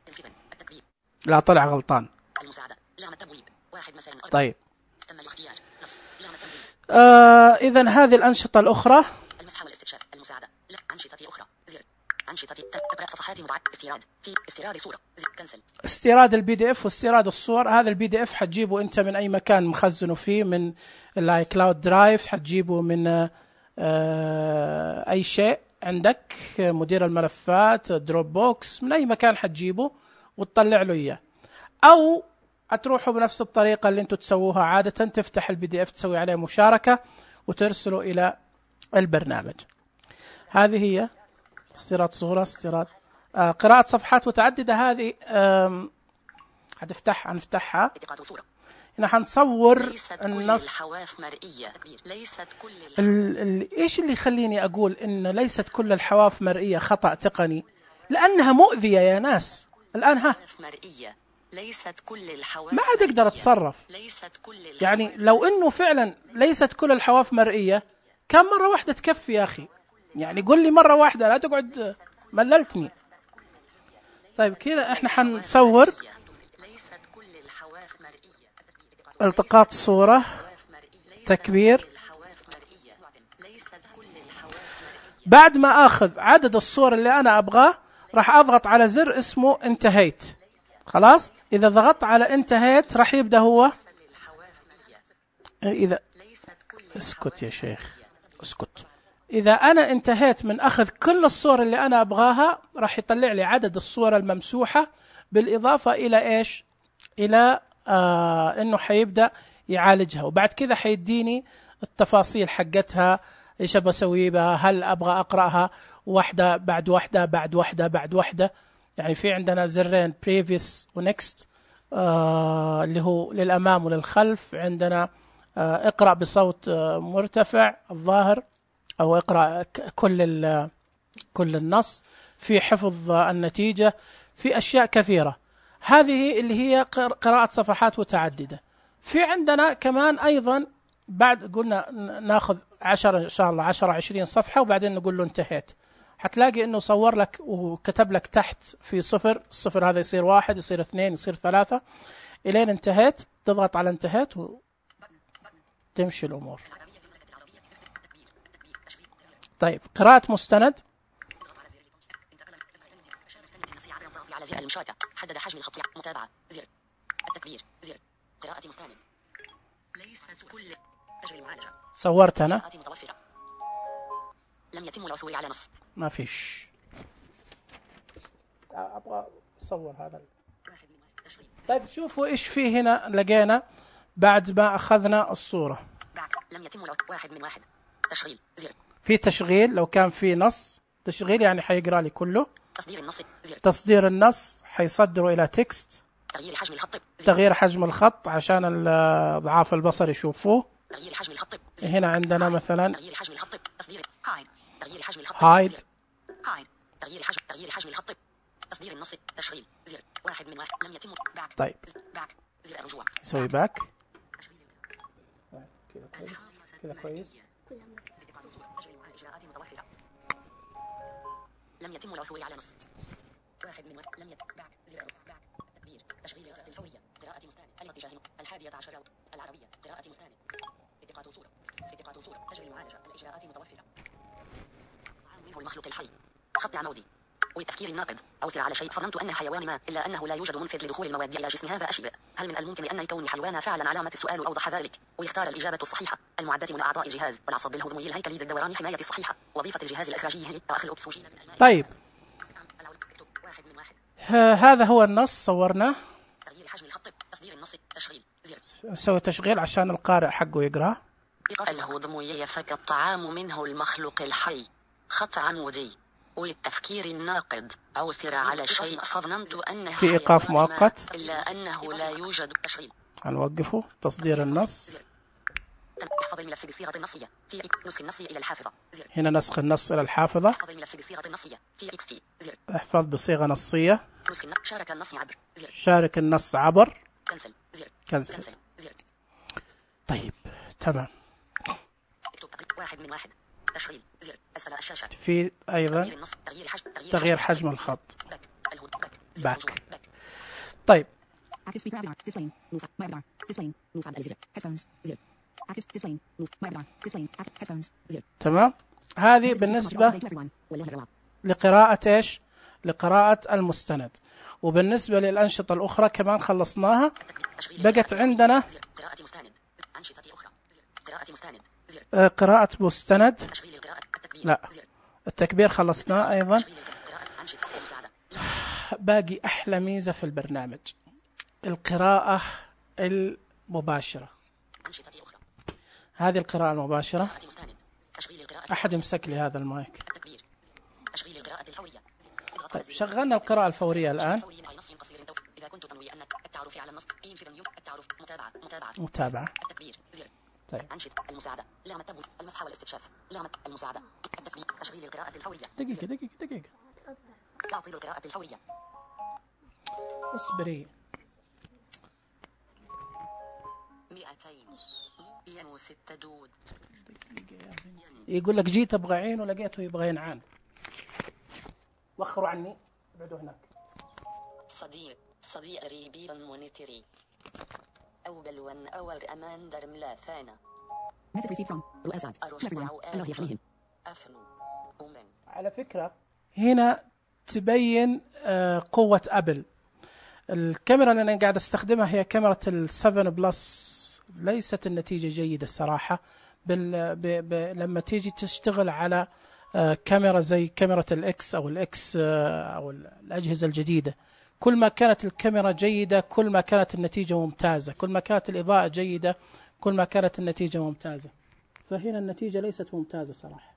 انفذن التكبير. لا طلع غلطان. المساعدة لام التبويب 1 مساء 4. طيب تم الاختيار نص لام التبويب. إذن هذه الأنشطة الأخرى. المسح والاستكشاف. المساعدة لا أنشطة أخرى زر أنشطة اقرأ صفحات مضاعف استيراد في استيراد صورة زر كنسل. استيراد البي دي اف واستيراد الصور. هذا البي دي اف حتجيبه انت من اي مكان مخزنه فيه، من الاي كلاود درايف، حتجيبه من اي شيء عندك، مدير الملفات، دروب بوكس، من اي مكان حتجيبه وتطلع له اياه، او هتروحوا بنفس الطريقة اللي انتم تسووها عادة، تفتح البي دي اف تسوي عليه مشاركة وترسله الى البرنامج. هذه هي استيراد صورة، استيراد قراءة صفحات متعددة. هذه هنفتحها هنا، حنصور النص. الحواف مرئية. ليست كل ايش اللي يخليني اقول ان ليست كل الحواف مرئية؟ خطأ تقني، لانها مؤذية يا ناس. الان مرئية. ليست كل الحواف ما عاد اقدر اتصرف. ليست كل يعني لو انه فعلا ليست كل الحواف مرئية، كم مرة واحدة تكفي يا اخي؟ يعني قل لي مرة واحدة، لا تقعد مللتني. طيب كذا احنا حنصور التقاط صورة، تكبير. بعد ما اخذ عدد الصور اللي انا ابغاه راح اضغط على زر اسمه انتهيت. خلاص، اذا ضغطت على انتهيت راح يبدأ هو. اذا اسكت يا شيخ اسكت. إذا أنا انتهيت من أخذ كل الصور اللي أنا أبغاها راح يطلع لي عدد الصور الممسوحة، بالإضافة إلى إيش؟ إلى إنه حيبدأ يعالجها، وبعد كذا حيديني التفاصيل حقتها، إيش أبسوي بها، هل أبغى أقرأها واحدة بعد واحدة بعد واحدة بعد واحدة. يعني في عندنا زرين previous و next اللي هو للأمام وللخلف. عندنا اقرأ بصوت مرتفع الظاهر، أو اقرأ كل النص، في حفظ النتيجة، في أشياء كثيرة. هذه اللي هي قراءة صفحات متعددة. في عندنا كمان أيضا بعد قلنا ناخذ 10 إن شاء الله 10-20 صفحة وبعدين نقول له انتهيت. حتلاقي إنه صور لك وكتب لك تحت في 0، الصفر هذا يصير 1، يصير 2، يصير 3 إلين انتهيت. تضغط على انتهيت وتمشي الأمور. طيب قراءة مستند. على زر المشاركة، حدد حجم الخط، متابعة زر التكبير زر قراءة مستند. ليست كل أجل المعالجة. صورت أنا. لم يتم العثور على نص. ما فيش. أبغى أصور هذا. طيب شوفوا إيش فيه هنا. لقينا بعد ما أخذنا الصورة لم يتم 1 من 1 تشغيل زر. في تشغيل، لو كان في نص تشغيل يعني حيقرأ لي كله. تصدير النص زر. تصدير النص حيصدره إلى تكست. تغيير حجم الخط. تغيير حجم الخط عشان ضعاف البصر يشوفوه. تغيير حجم الخط. هنا عندنا مثلا تغيير حجم الخط. تصدير هايد. تغيير حجم الخط. هايد. هايد. تغيير حجم الخط. تصدير النص تشغيل زر 1 من 1. لم يتم باك. طيب باك زر الرجوع. سوي باك كذا كويس. لم يتم العثور على نص. 1 من 1 لم يتم باك زر باك تكبير تشغيل القراءة الفورية قراءة مستند الاتجاه 11 العربية قراءة مستند التقاط صورة تجري المعالجة الإجراءات متوفرة منه المخلوق الحي خط عمودي والتفكير الناقد عثر على شيء فظنت أنه حيوان ما إلا أنه لا يوجد منفذ لدخول المواد إلى جسم هذا أشبه. هل من الممكن أن يكون حيوانا فعلا؟ علامة السؤال أوضح ذلك ويختار الإجابة الصحيحة. المعدة من أعضاء الجهاز والعصب الهضمي الهيكلي الدوران حماية الصحيحة. وظيفة الجهاز الإخراجي هي أخذ الأكسجين. طيب هذا هو النص صورناه. تغيير حجم الخط. تصدير النص تشغيل زر. نسوي تشغيل عشان القارئ حقه يقرأ. الهضمي يفك الطعام منه المخلوق الحي خط عمودي والتفكير الناقد عثر على شيء فظننت أنه في إيقاف مؤقت إلا أنه لا يوجد تشغيل. هنوقفه. تصدير النص. احفظ الملف بصيغة النصية في نسخ النص إلى الحافظة زر. هنا نسخ النص إلى الحافظة. احفظ الملف بصيغة النصية في XT زر. احفظ بصيغة نصية. شارك النص عبر زر. شارك النص عبر. كنسل زر. كنسل زر. طيب تمام. اكتب 1 من 1 تشغيل زر أسفل الشاشة. في أيضا تغيير حجم الخط. باك. طيب تمام. هذه بالنسبة لقراءة إيش؟ لقراءة المستند. وبالنسبة للأنشطة الأخرى كمان خلصناها. بقت عندنا قراءة مستند. لا، التكبير خلصناه أيضا. باقي أحلى ميزة في البرنامج، القراءة المباشرة. هذه القراءة المباشرة. أحد يمسك لي هذا المايك. طيب شغلنا القراءة الفورية الآن. متابعة. طيب. المساعدة، لام التبويب، المسح والاستكشاف، لام المساعدة، التكبير، تشغيل القراءة الفورية. دقيقة. تعطيل القراءة الفورية. اصبري. 206 دود. يقول لك جيت ابغى عين ولقيته يبغى ينعان. وخروا عني، ابعدوا هناك. صديق ريبي مونيتري أو بلون أور أمان درم لا ثانا. على فكرة هنا تبين قوة أبل. الكاميرا اللي أنا قاعد استخدمها هي كاميرا ال7 بلس. ليست النتيجة جيدة الصراحة. لما تيجي تشتغل على كاميرا زي كاميرا الإكس أو الإكس أو الأجهزة الجديدة، كل ما كانت الكاميرا جيدة كل ما كانت النتيجة ممتازة، كل ما كانت الإضاءة جيدة كل ما كانت النتيجة ممتازة. فهنا النتيجة ليست ممتازة صراحة.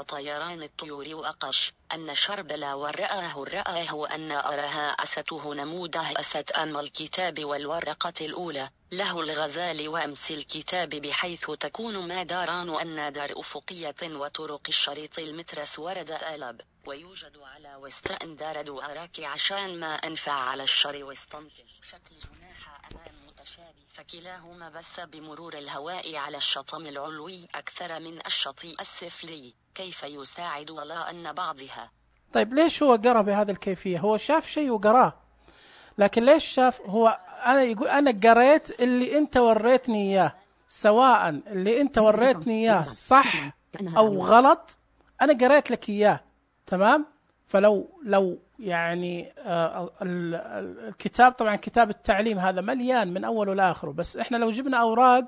طيران الطيور وأقش أن شربلا ورآه أن أرها أسته نموده أست أم الكتاب والورقة الأولى له الغزال وأمس الكتاب بحيث تكون ماداران أن دار أفقية وطرق الشريط المترس ورد آلب ويوجد على وستأن دار دوارك عشان ما أنفع على الشر واستنتج شكل جناح أمام متشابه فكلاهما بس بمرور الهواء على الشطم العلوي أكثر من الشطيء السفلي كيف يساعد ولا أن بعضها. طيب ليش هو قرأ بهذه الكيفية؟ هو شاف شيء وقراه، لكن ليش شاف؟ هو أنا يقول أنا قريت اللي أنت وريتني إياه، سواء اللي أنت وريتني إياه صح أو غلط أنا قريت لك إياه. تمام. فلو يعني الكتاب طبعا كتاب التعليم هذا مليان من أوله لآخره، بس إحنا لو جبنا أوراق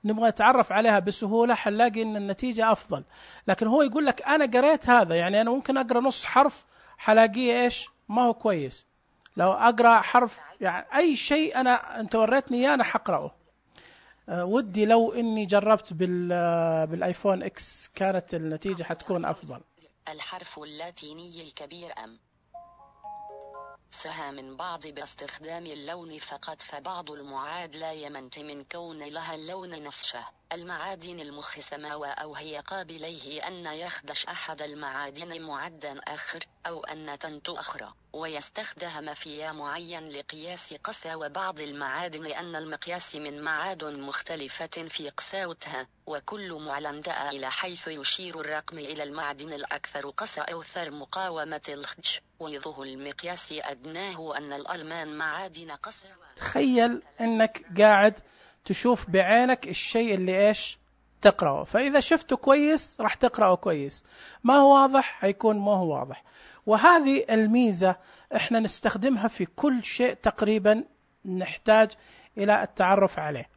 نبغى نتعرف عليها بسهولة حنلاقي إن النتيجة أفضل. لكن هو يقول لك أنا قريت هذا، يعني أنا ممكن أقرأ نص حرف حلاقيه إيش ما هو كويس. لو أقرأ حرف يعني أي شيء أنت وريتني إياه أنا حقرأه. ودي لو إني جربت بالآيفون إكس كانت النتيجة حتكون أفضل. الحرف اللاتيني الكبير أم سها من بعض باستخدام اللون فقط، فبعض المعاد لا يمنت من كون لها اللون نفسه. المعادن المخصمة أو هي قابليه أن يخدش أحد المعادن معدا آخر أو أن تنتو أخرى، ويستخدم في معين لقياس قساوة بعض المعادن أن المقياس من معاد مختلفة في قساوتها، وكل معلم دأ إلى حيث يشير الرقم إلى المعدن الأكثر قسى أو ثر مقاومة الخدش، ويظه المقياس أدناه أن الألمان معادن قساوة. تخيل أنك قاعد تشوف بعينك الشيء اللي إيش تقرأه، فإذا شفته كويس راح تقرأه كويس، ما هو واضح هيكون ما هو واضح. وهذه الميزة إحنا نستخدمها في كل شيء تقريبا نحتاج إلى التعرف عليه.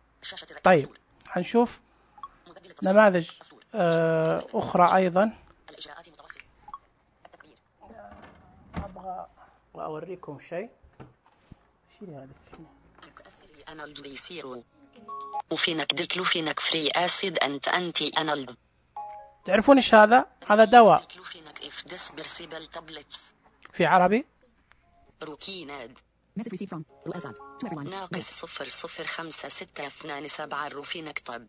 طيب هنشوف نماذج أخرى أيضا. أبغى أوريكم شيء. شيء هذا أنالد بيصيروا وفينك ديكلوفينك فري أسيد أنتي أنالد. تعرفون إيش هذا؟ هذا دواء في عربي. روكيناد ناقص 0056227 الروفينك طب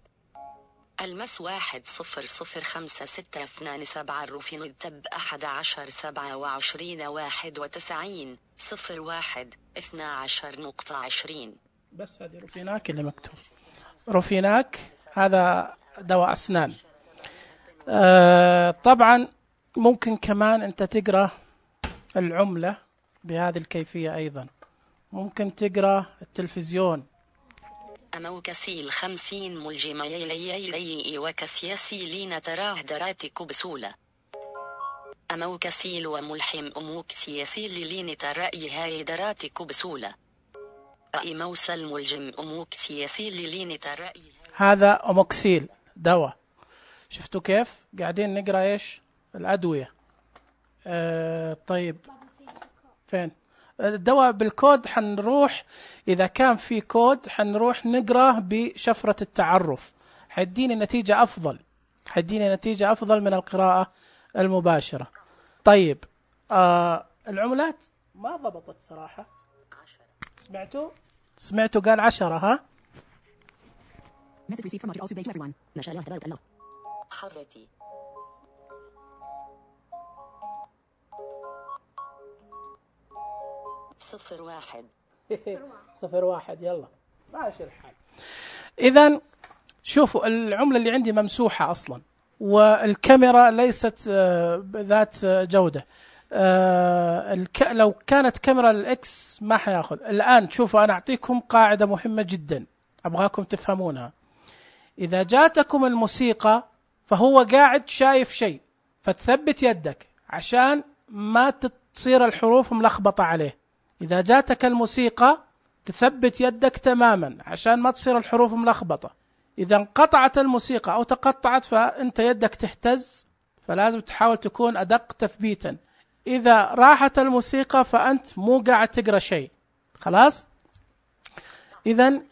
المس 1005627 الروفينك تب 11/27/91 01/12/20. بس هذه روفيناك اللي مكتوب. روفيناك هذا دواء أسنان. طبعا ممكن كمان أنت تقرأ العملة بهذه الكيفية أيضا. ممكن تقرأ التلفزيون. أمو كسيل 50 ملجمة يلي وكسياسي لين تراه دراتك بسولة. أمو كسيل وملحم أموك سياسي لين ترأي هاي دراتك بسولة. أي موسى ملجم أموك سياسي لين ترأي. هذا أموكسيل دواء. شفتوا كيف قاعدين نقرأ إيش الأدوية؟ طيب فين الدواء بالكود؟ حنروح إذا كان في كود حنروح نقرأ بشفرة التعرف، حيديني نتيجة أفضل من القراءة المباشرة. طيب العملات ما ضبطت صراحة. سمعتوا قال 10 ها؟ ما شاء الله تبارك الله. حرتي 01 يلا ماشي الحال. إذن شوفوا العملة اللي عندي ممسوحة أصلا، والكاميرا ليست ذات جودة. لو كانت كاميرا الإكس ما حياخذ. الآن شوفوا أنا أعطيكم قاعدة مهمة جدا أبغاكم تفهمونها. إذا جاتكم الموسيقى فهو قاعد شايف شيء، فتثبت يدك عشان ما تصير الحروف ملخبطة عليه. إذا جاتك الموسيقى تثبت يدك تماما عشان ما تصير الحروف ملخبطة. إذا انقطعت الموسيقى أو تقطعت فأنت يدك تهتز، فلازم تحاول تكون أدق تثبيتا. إذا راحت الموسيقى فأنت مو قاعد تقرأ شيء. خلاص؟ إذن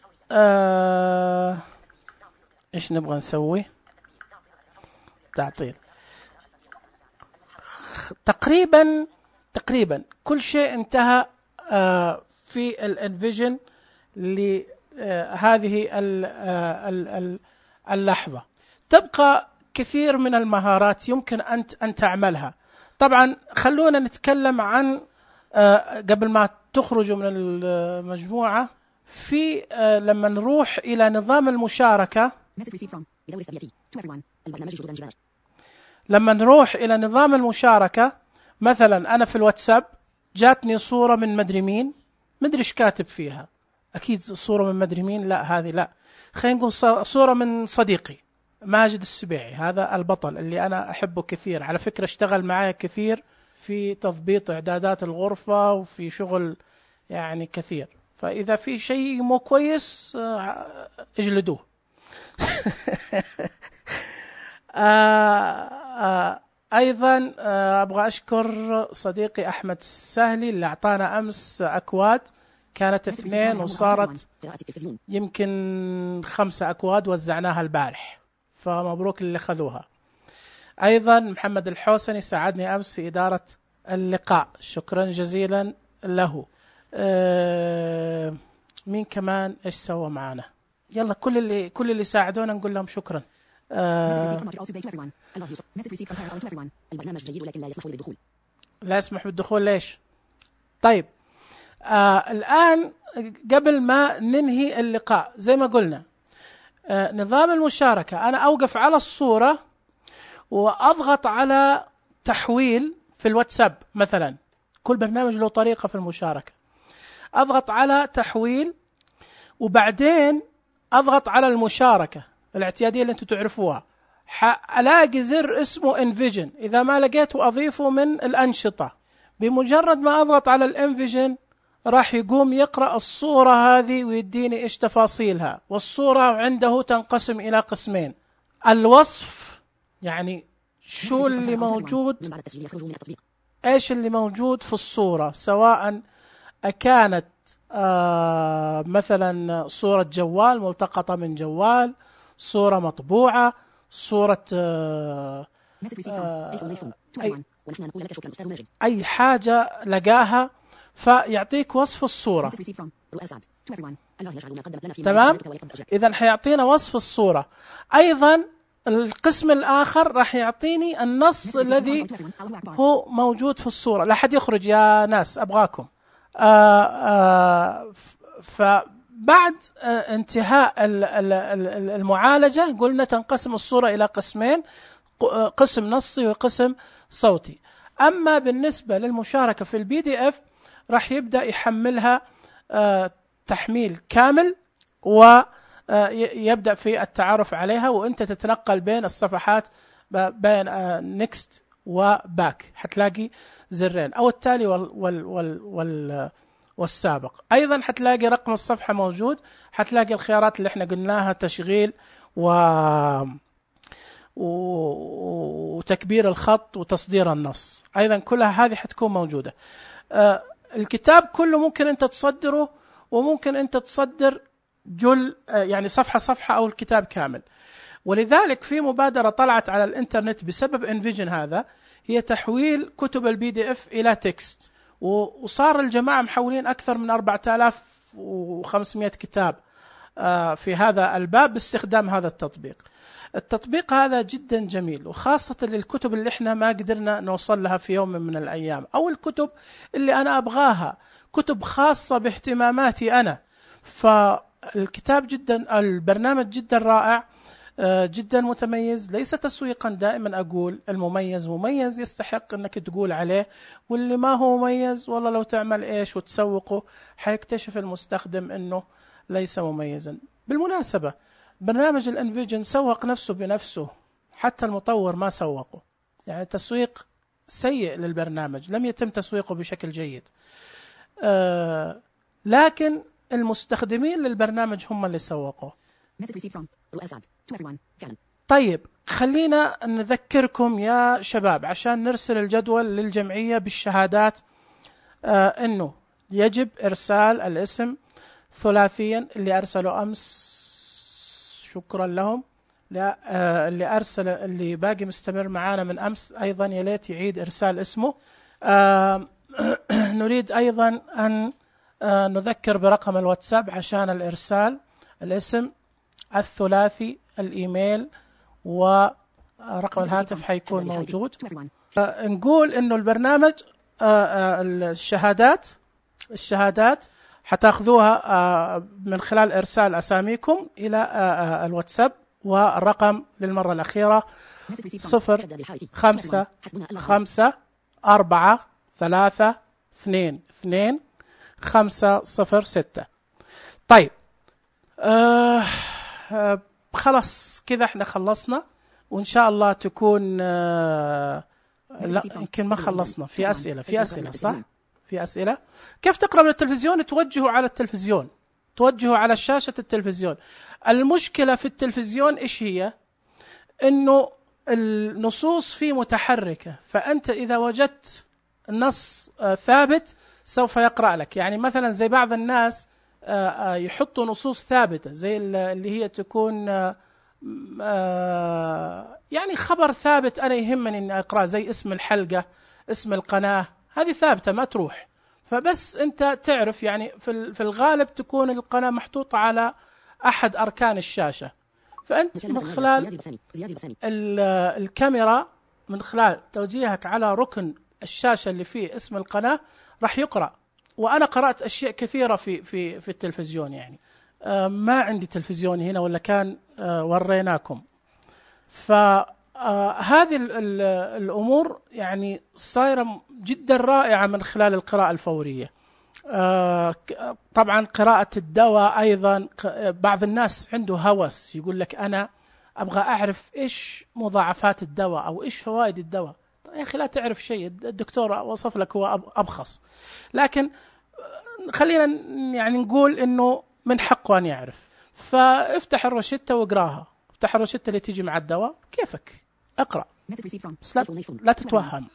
إيش نبغى نسوي؟ تعطيل. تقريبا كل شيء انتهى في الانفيجن لهذه اللحظة. تبقى كثير من المهارات يمكن أن تعملها. طبعا خلونا نتكلم عن قبل ما تخرجوا من المجموعة في لما نروح إلى نظام المشاركة. لما نروح إلى نظام المشاركة مثلا أنا في الواتساب جاتني صورة من مدري مين، مدري إيش كاتب فيها، أكيد صورة من مدري مين، لا هذه لا، خلينا نقول صورة من صديقي ماجد السبيعي، هذا البطل اللي أنا أحبه كثير، على فكرة اشتغل معايا كثير في تضبيط إعدادات الغرفة وفي شغل يعني كثير. فإذا في شيء مو كويس اجلدوه. أيضا أبغى أشكر صديقي أحمد السهلي اللي أعطانا أمس أكواد، كانت 2 وصارت يمكن 5 أكواد وزعناها البارح، فمبروك اللي خذوها. أيضا محمد الحوسني ساعدني أمس في إدارة اللقاء، شكرا جزيلا له. مين كمان إيش سوى معنا؟ يلا كل اللي ساعدونا نقول لهم شكرا. البرنامج جيد ولكن لا يسمح بالدخول. لا يسمح بالدخول ليش؟ طيب الآن قبل ما ننهي اللقاء زي ما قلنا نظام المشاركة، أنا أوقف على الصورة وأضغط على تحويل في الواتساب مثلا، كل برنامج له طريقة في المشاركة. أضغط على تحويل وبعدين أضغط على المشاركة الاعتيادية اللي أنتم تعرفوها، ألاقي زر اسمه انفيجن، إذا ما لقيته أضيفه من الأنشطة. بمجرد ما أضغط على الانفيجن راح يقوم يقرأ الصورة هذه ويديني إيش تفاصيلها، والصورة عنده تنقسم إلى قسمين: الوصف، يعني شو اللي موجود، إيش اللي موجود في الصورة، سواء كانت مثلا صورة جوال ملتقطة من جوال، صورة مطبوعة، صورة أي حاجة لقاها، فيعطيك وصف الصورة. تمام؟ إذن حيعطينا وصف الصورة. أيضا القسم الآخر راح يعطيني النص الذي هو موجود في الصورة. لا حد يخرج يا ناس أبغاكم. فبعد انتهاء المعالجة قلنا تنقسم الصورة إلى قسمين: قسم نصي وقسم صوتي. أما بالنسبة للمشاركة في الPDF راح يبدأ يحملها تحميل كامل ويبدأ في التعرف عليها، وأنت تتنقل بين الصفحات بين next وباك، حتلاقي زرين أو التالي والسابق. أيضا حتلاقي رقم الصفحة موجود، حتلاقي الخيارات اللي احنا قلناها تشغيل وتكبير الخط وتصدير النص، أيضا كلها هذه حتكون موجودة. الكتاب كله ممكن أنت تصدره، وممكن أنت تصدر يعني صفحة صفحة أو الكتاب كامل. ولذلك في مبادرة طلعت على الإنترنت بسبب انفيجن هذا، هي تحويل كتب الPDF إلى تكست، وصار الجماعة محولين أكثر من 4500 كتاب في هذا الباب باستخدام هذا التطبيق. التطبيق هذا جدا جميل، وخاصة للكتب اللي احنا ما قدرنا نوصل لها في يوم من الأيام، أو الكتب اللي أنا أبغاها، كتب خاصة باهتماماتي أنا. فالكتاب جدا، البرنامج جدا رائع، جدا متميز. ليس تسويقا، دائما أقول المميز مميز يستحق أنك تقول عليه، واللي ما هو مميز والله لو تعمل إيش وتسوقه حيكتشف المستخدم أنه ليس مميزا. بالمناسبة برنامج الانفيجن سوق نفسه بنفسه، حتى المطور ما سوقه، يعني تسويق سيء للبرنامج، لم يتم تسويقه بشكل جيد. لكن المستخدمين للبرنامج هم اللي سوقوه. طيب خلينا نذكركم يا شباب عشان نرسل الجدول للجمعية بالشهادات، انه يجب ارسال الاسم ثلاثيا. اللي ارسلوا امس شكرا لهم، اللي ارسل اللي باقي مستمر معانا من امس ايضا يا ليت يعيد ارسال اسمه. نريد ايضا ان نذكر برقم الواتساب عشان الارسال، الاسم الثلاثي، الايميل ورقم الهاتف حيكون موجود. نقول انه البرنامج الشهادات حتاخذوها من خلال ارسال اساميكم الى الواتساب، والرقم للمرة الأخيرة 0554322506. طيب خلاص كذا احنا خلصنا، وإن شاء الله تكون لا يمكن ما خلصنا، في أسئلة صح؟ في أسئلة. كيف تقرأ من التلفزيون؟ توجهوا على التلفزيون، توجهوا على شاشة التلفزيون. المشكلة في التلفزيون إيش هي؟ إنه النصوص فيه متحركة، فأنت إذا وجدت نص ثابت سوف يقرأ لك. يعني مثلا زي بعض الناس يحطوا نصوص ثابتة زي اللي هي تكون يعني خبر ثابت أنا يهمني أن أقرأ، زي اسم الحلقة، اسم القناة، هذه ثابتة ما تروح. فبس أنت تعرف يعني في الغالب تكون القناة محطوطة على أحد أركان الشاشة، فأنت من خلال الكاميرا، من خلال توجيهك على ركن الشاشة اللي فيه اسم القناة راح يقرأ. وأنا قرأت أشياء كثيرة في التلفزيون، يعني ما عندي تلفزيون هنا ولا كان وريناكم. فهذه الأمور يعني صايرة جدا رائعة من خلال القراءة الفورية. طبعا قراءة الدواء أيضا، بعض الناس عنده هوس يقول لك أنا أبغى أعرف إيش مضاعفات الدواء أو إيش فوائد الدواء. يا أخي لا تعرف شيء، الدكتور وصف لك هو أبخص. لكن خلينا يعني نقول إنه من حقه أن يعرف. فافتح الروشتة واقراها، افتح الروشتة اللي تيجي مع الدواء كيفك اقرأ، بس لا تتوهم.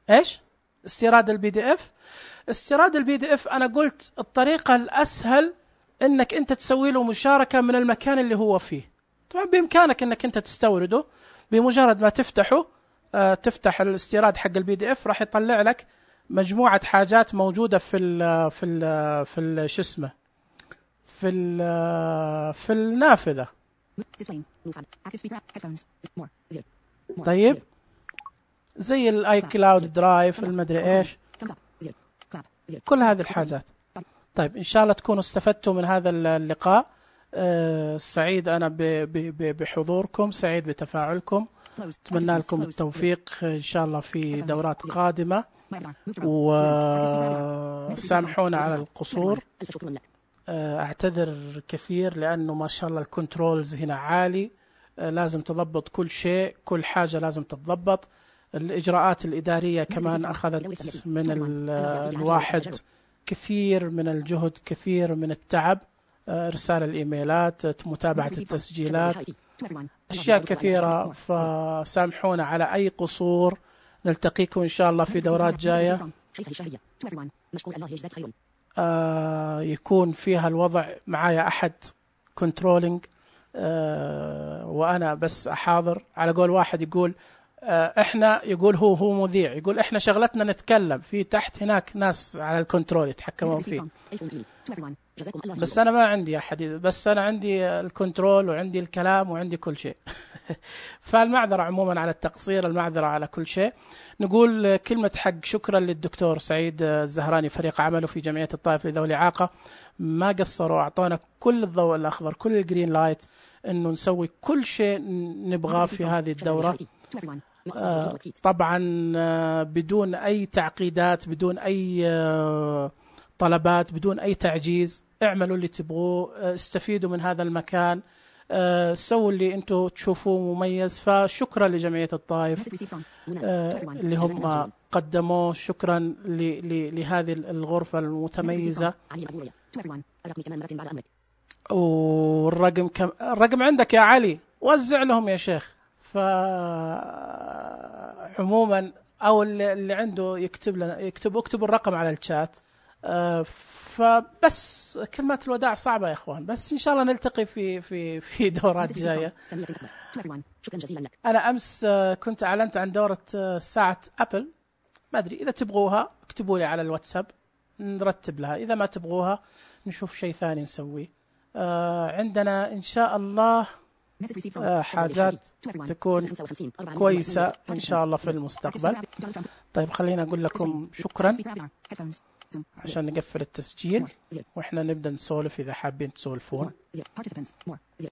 إيش؟ استيراد الPDF. استيراد الPDF أنا قلت الطريقة الأسهل إنك أنت تسوي له مشاركة من المكان اللي هو فيه. طبعا بإمكانك إنك أنت تستورده، بمجرد ما تفتحه تفتح الاستيراد حق الPDF راح يطلع لك مجموعة حاجات موجودة في شو اسمه في النافذة. طيب زي الاي كلاود درايف، المدري ايش، كل هذه الحاجات. طيب ان شاء الله تكونوا استفدتوا من هذا اللقاء. سعيد أنا بحضوركم، سعيد بتفاعلكم، أتمنى لكم التوفيق إن شاء الله في دورات قادمة، وسامحونا على القصور. أعتذر كثير لأنه ما شاء الله الكنترولز هنا عالي، لازم تضبط كل شيء، كل حاجة لازم تتضبط. الإجراءات الإدارية كمان أخذت من الواحد كثير من الجهد، كثير من التعب، إرسال الإيميلات، متابعة التسجيلات، أشياء كثيرة، فسامحونا على أي قصور. نلتقيكم إن شاء الله في دورات جاية يكون فيها الوضع معايا أحد كنترولينج، وأنا بس أحاضر. على قول واحد يقول إحنا، يقول هو مذيع، يقول إحنا شغلتنا نتكلم، في تحت هناك ناس على الكنترول يتحكمون فيه، بس أنا ما عندي أحد، بس أنا عندي الكنترول وعندي الكلام وعندي كل شيء. فالمعذرة عموما على التقصير، المعذرة على كل شيء. نقول كلمة حق شكرا للدكتور سعيد الزهراني، فريق عمله في جمعية الطائف لذوي الإعاقة، ما قصروا، أعطونا كل الضوء الأخضر، كل الجرين لايت، إنه نسوي كل شيء نبغاه في هذه الدورة. طبعا بدون أي تعقيدات، بدون أي طلبات، بدون أي تعجيز. اعملوا اللي تبغوه، استفيدوا من هذا المكان، سووا اللي انتم تشوفوه مميز. فشكرا لجمعية الطائف اللي هم قدموه، شكرا لهذه الغرفة المتميزة. والرقم الرقم عندك يا علي، وزع لهم يا شيخ. فعموما او اللي عنده يكتب لنا، اكتبوا الرقم على الشات. فبس كلمات الوداع صعبة يا اخوان، بس ان شاء الله نلتقي في دورات جاية. انا امس كنت اعلنت عن دورة ساعة ابل، ما ادري اذا تبغوها اكتبوا لي على الواتساب نرتب لها، اذا ما تبغوها نشوف شيء ثاني نسويه. عندنا ان شاء الله حاجات تكون كويسة إن شاء الله في المستقبل. طيب خلينا أقول لكم شكرا عشان نقفل التسجيل، وإحنا نبدأ نسولف إذا حابين تسولفون.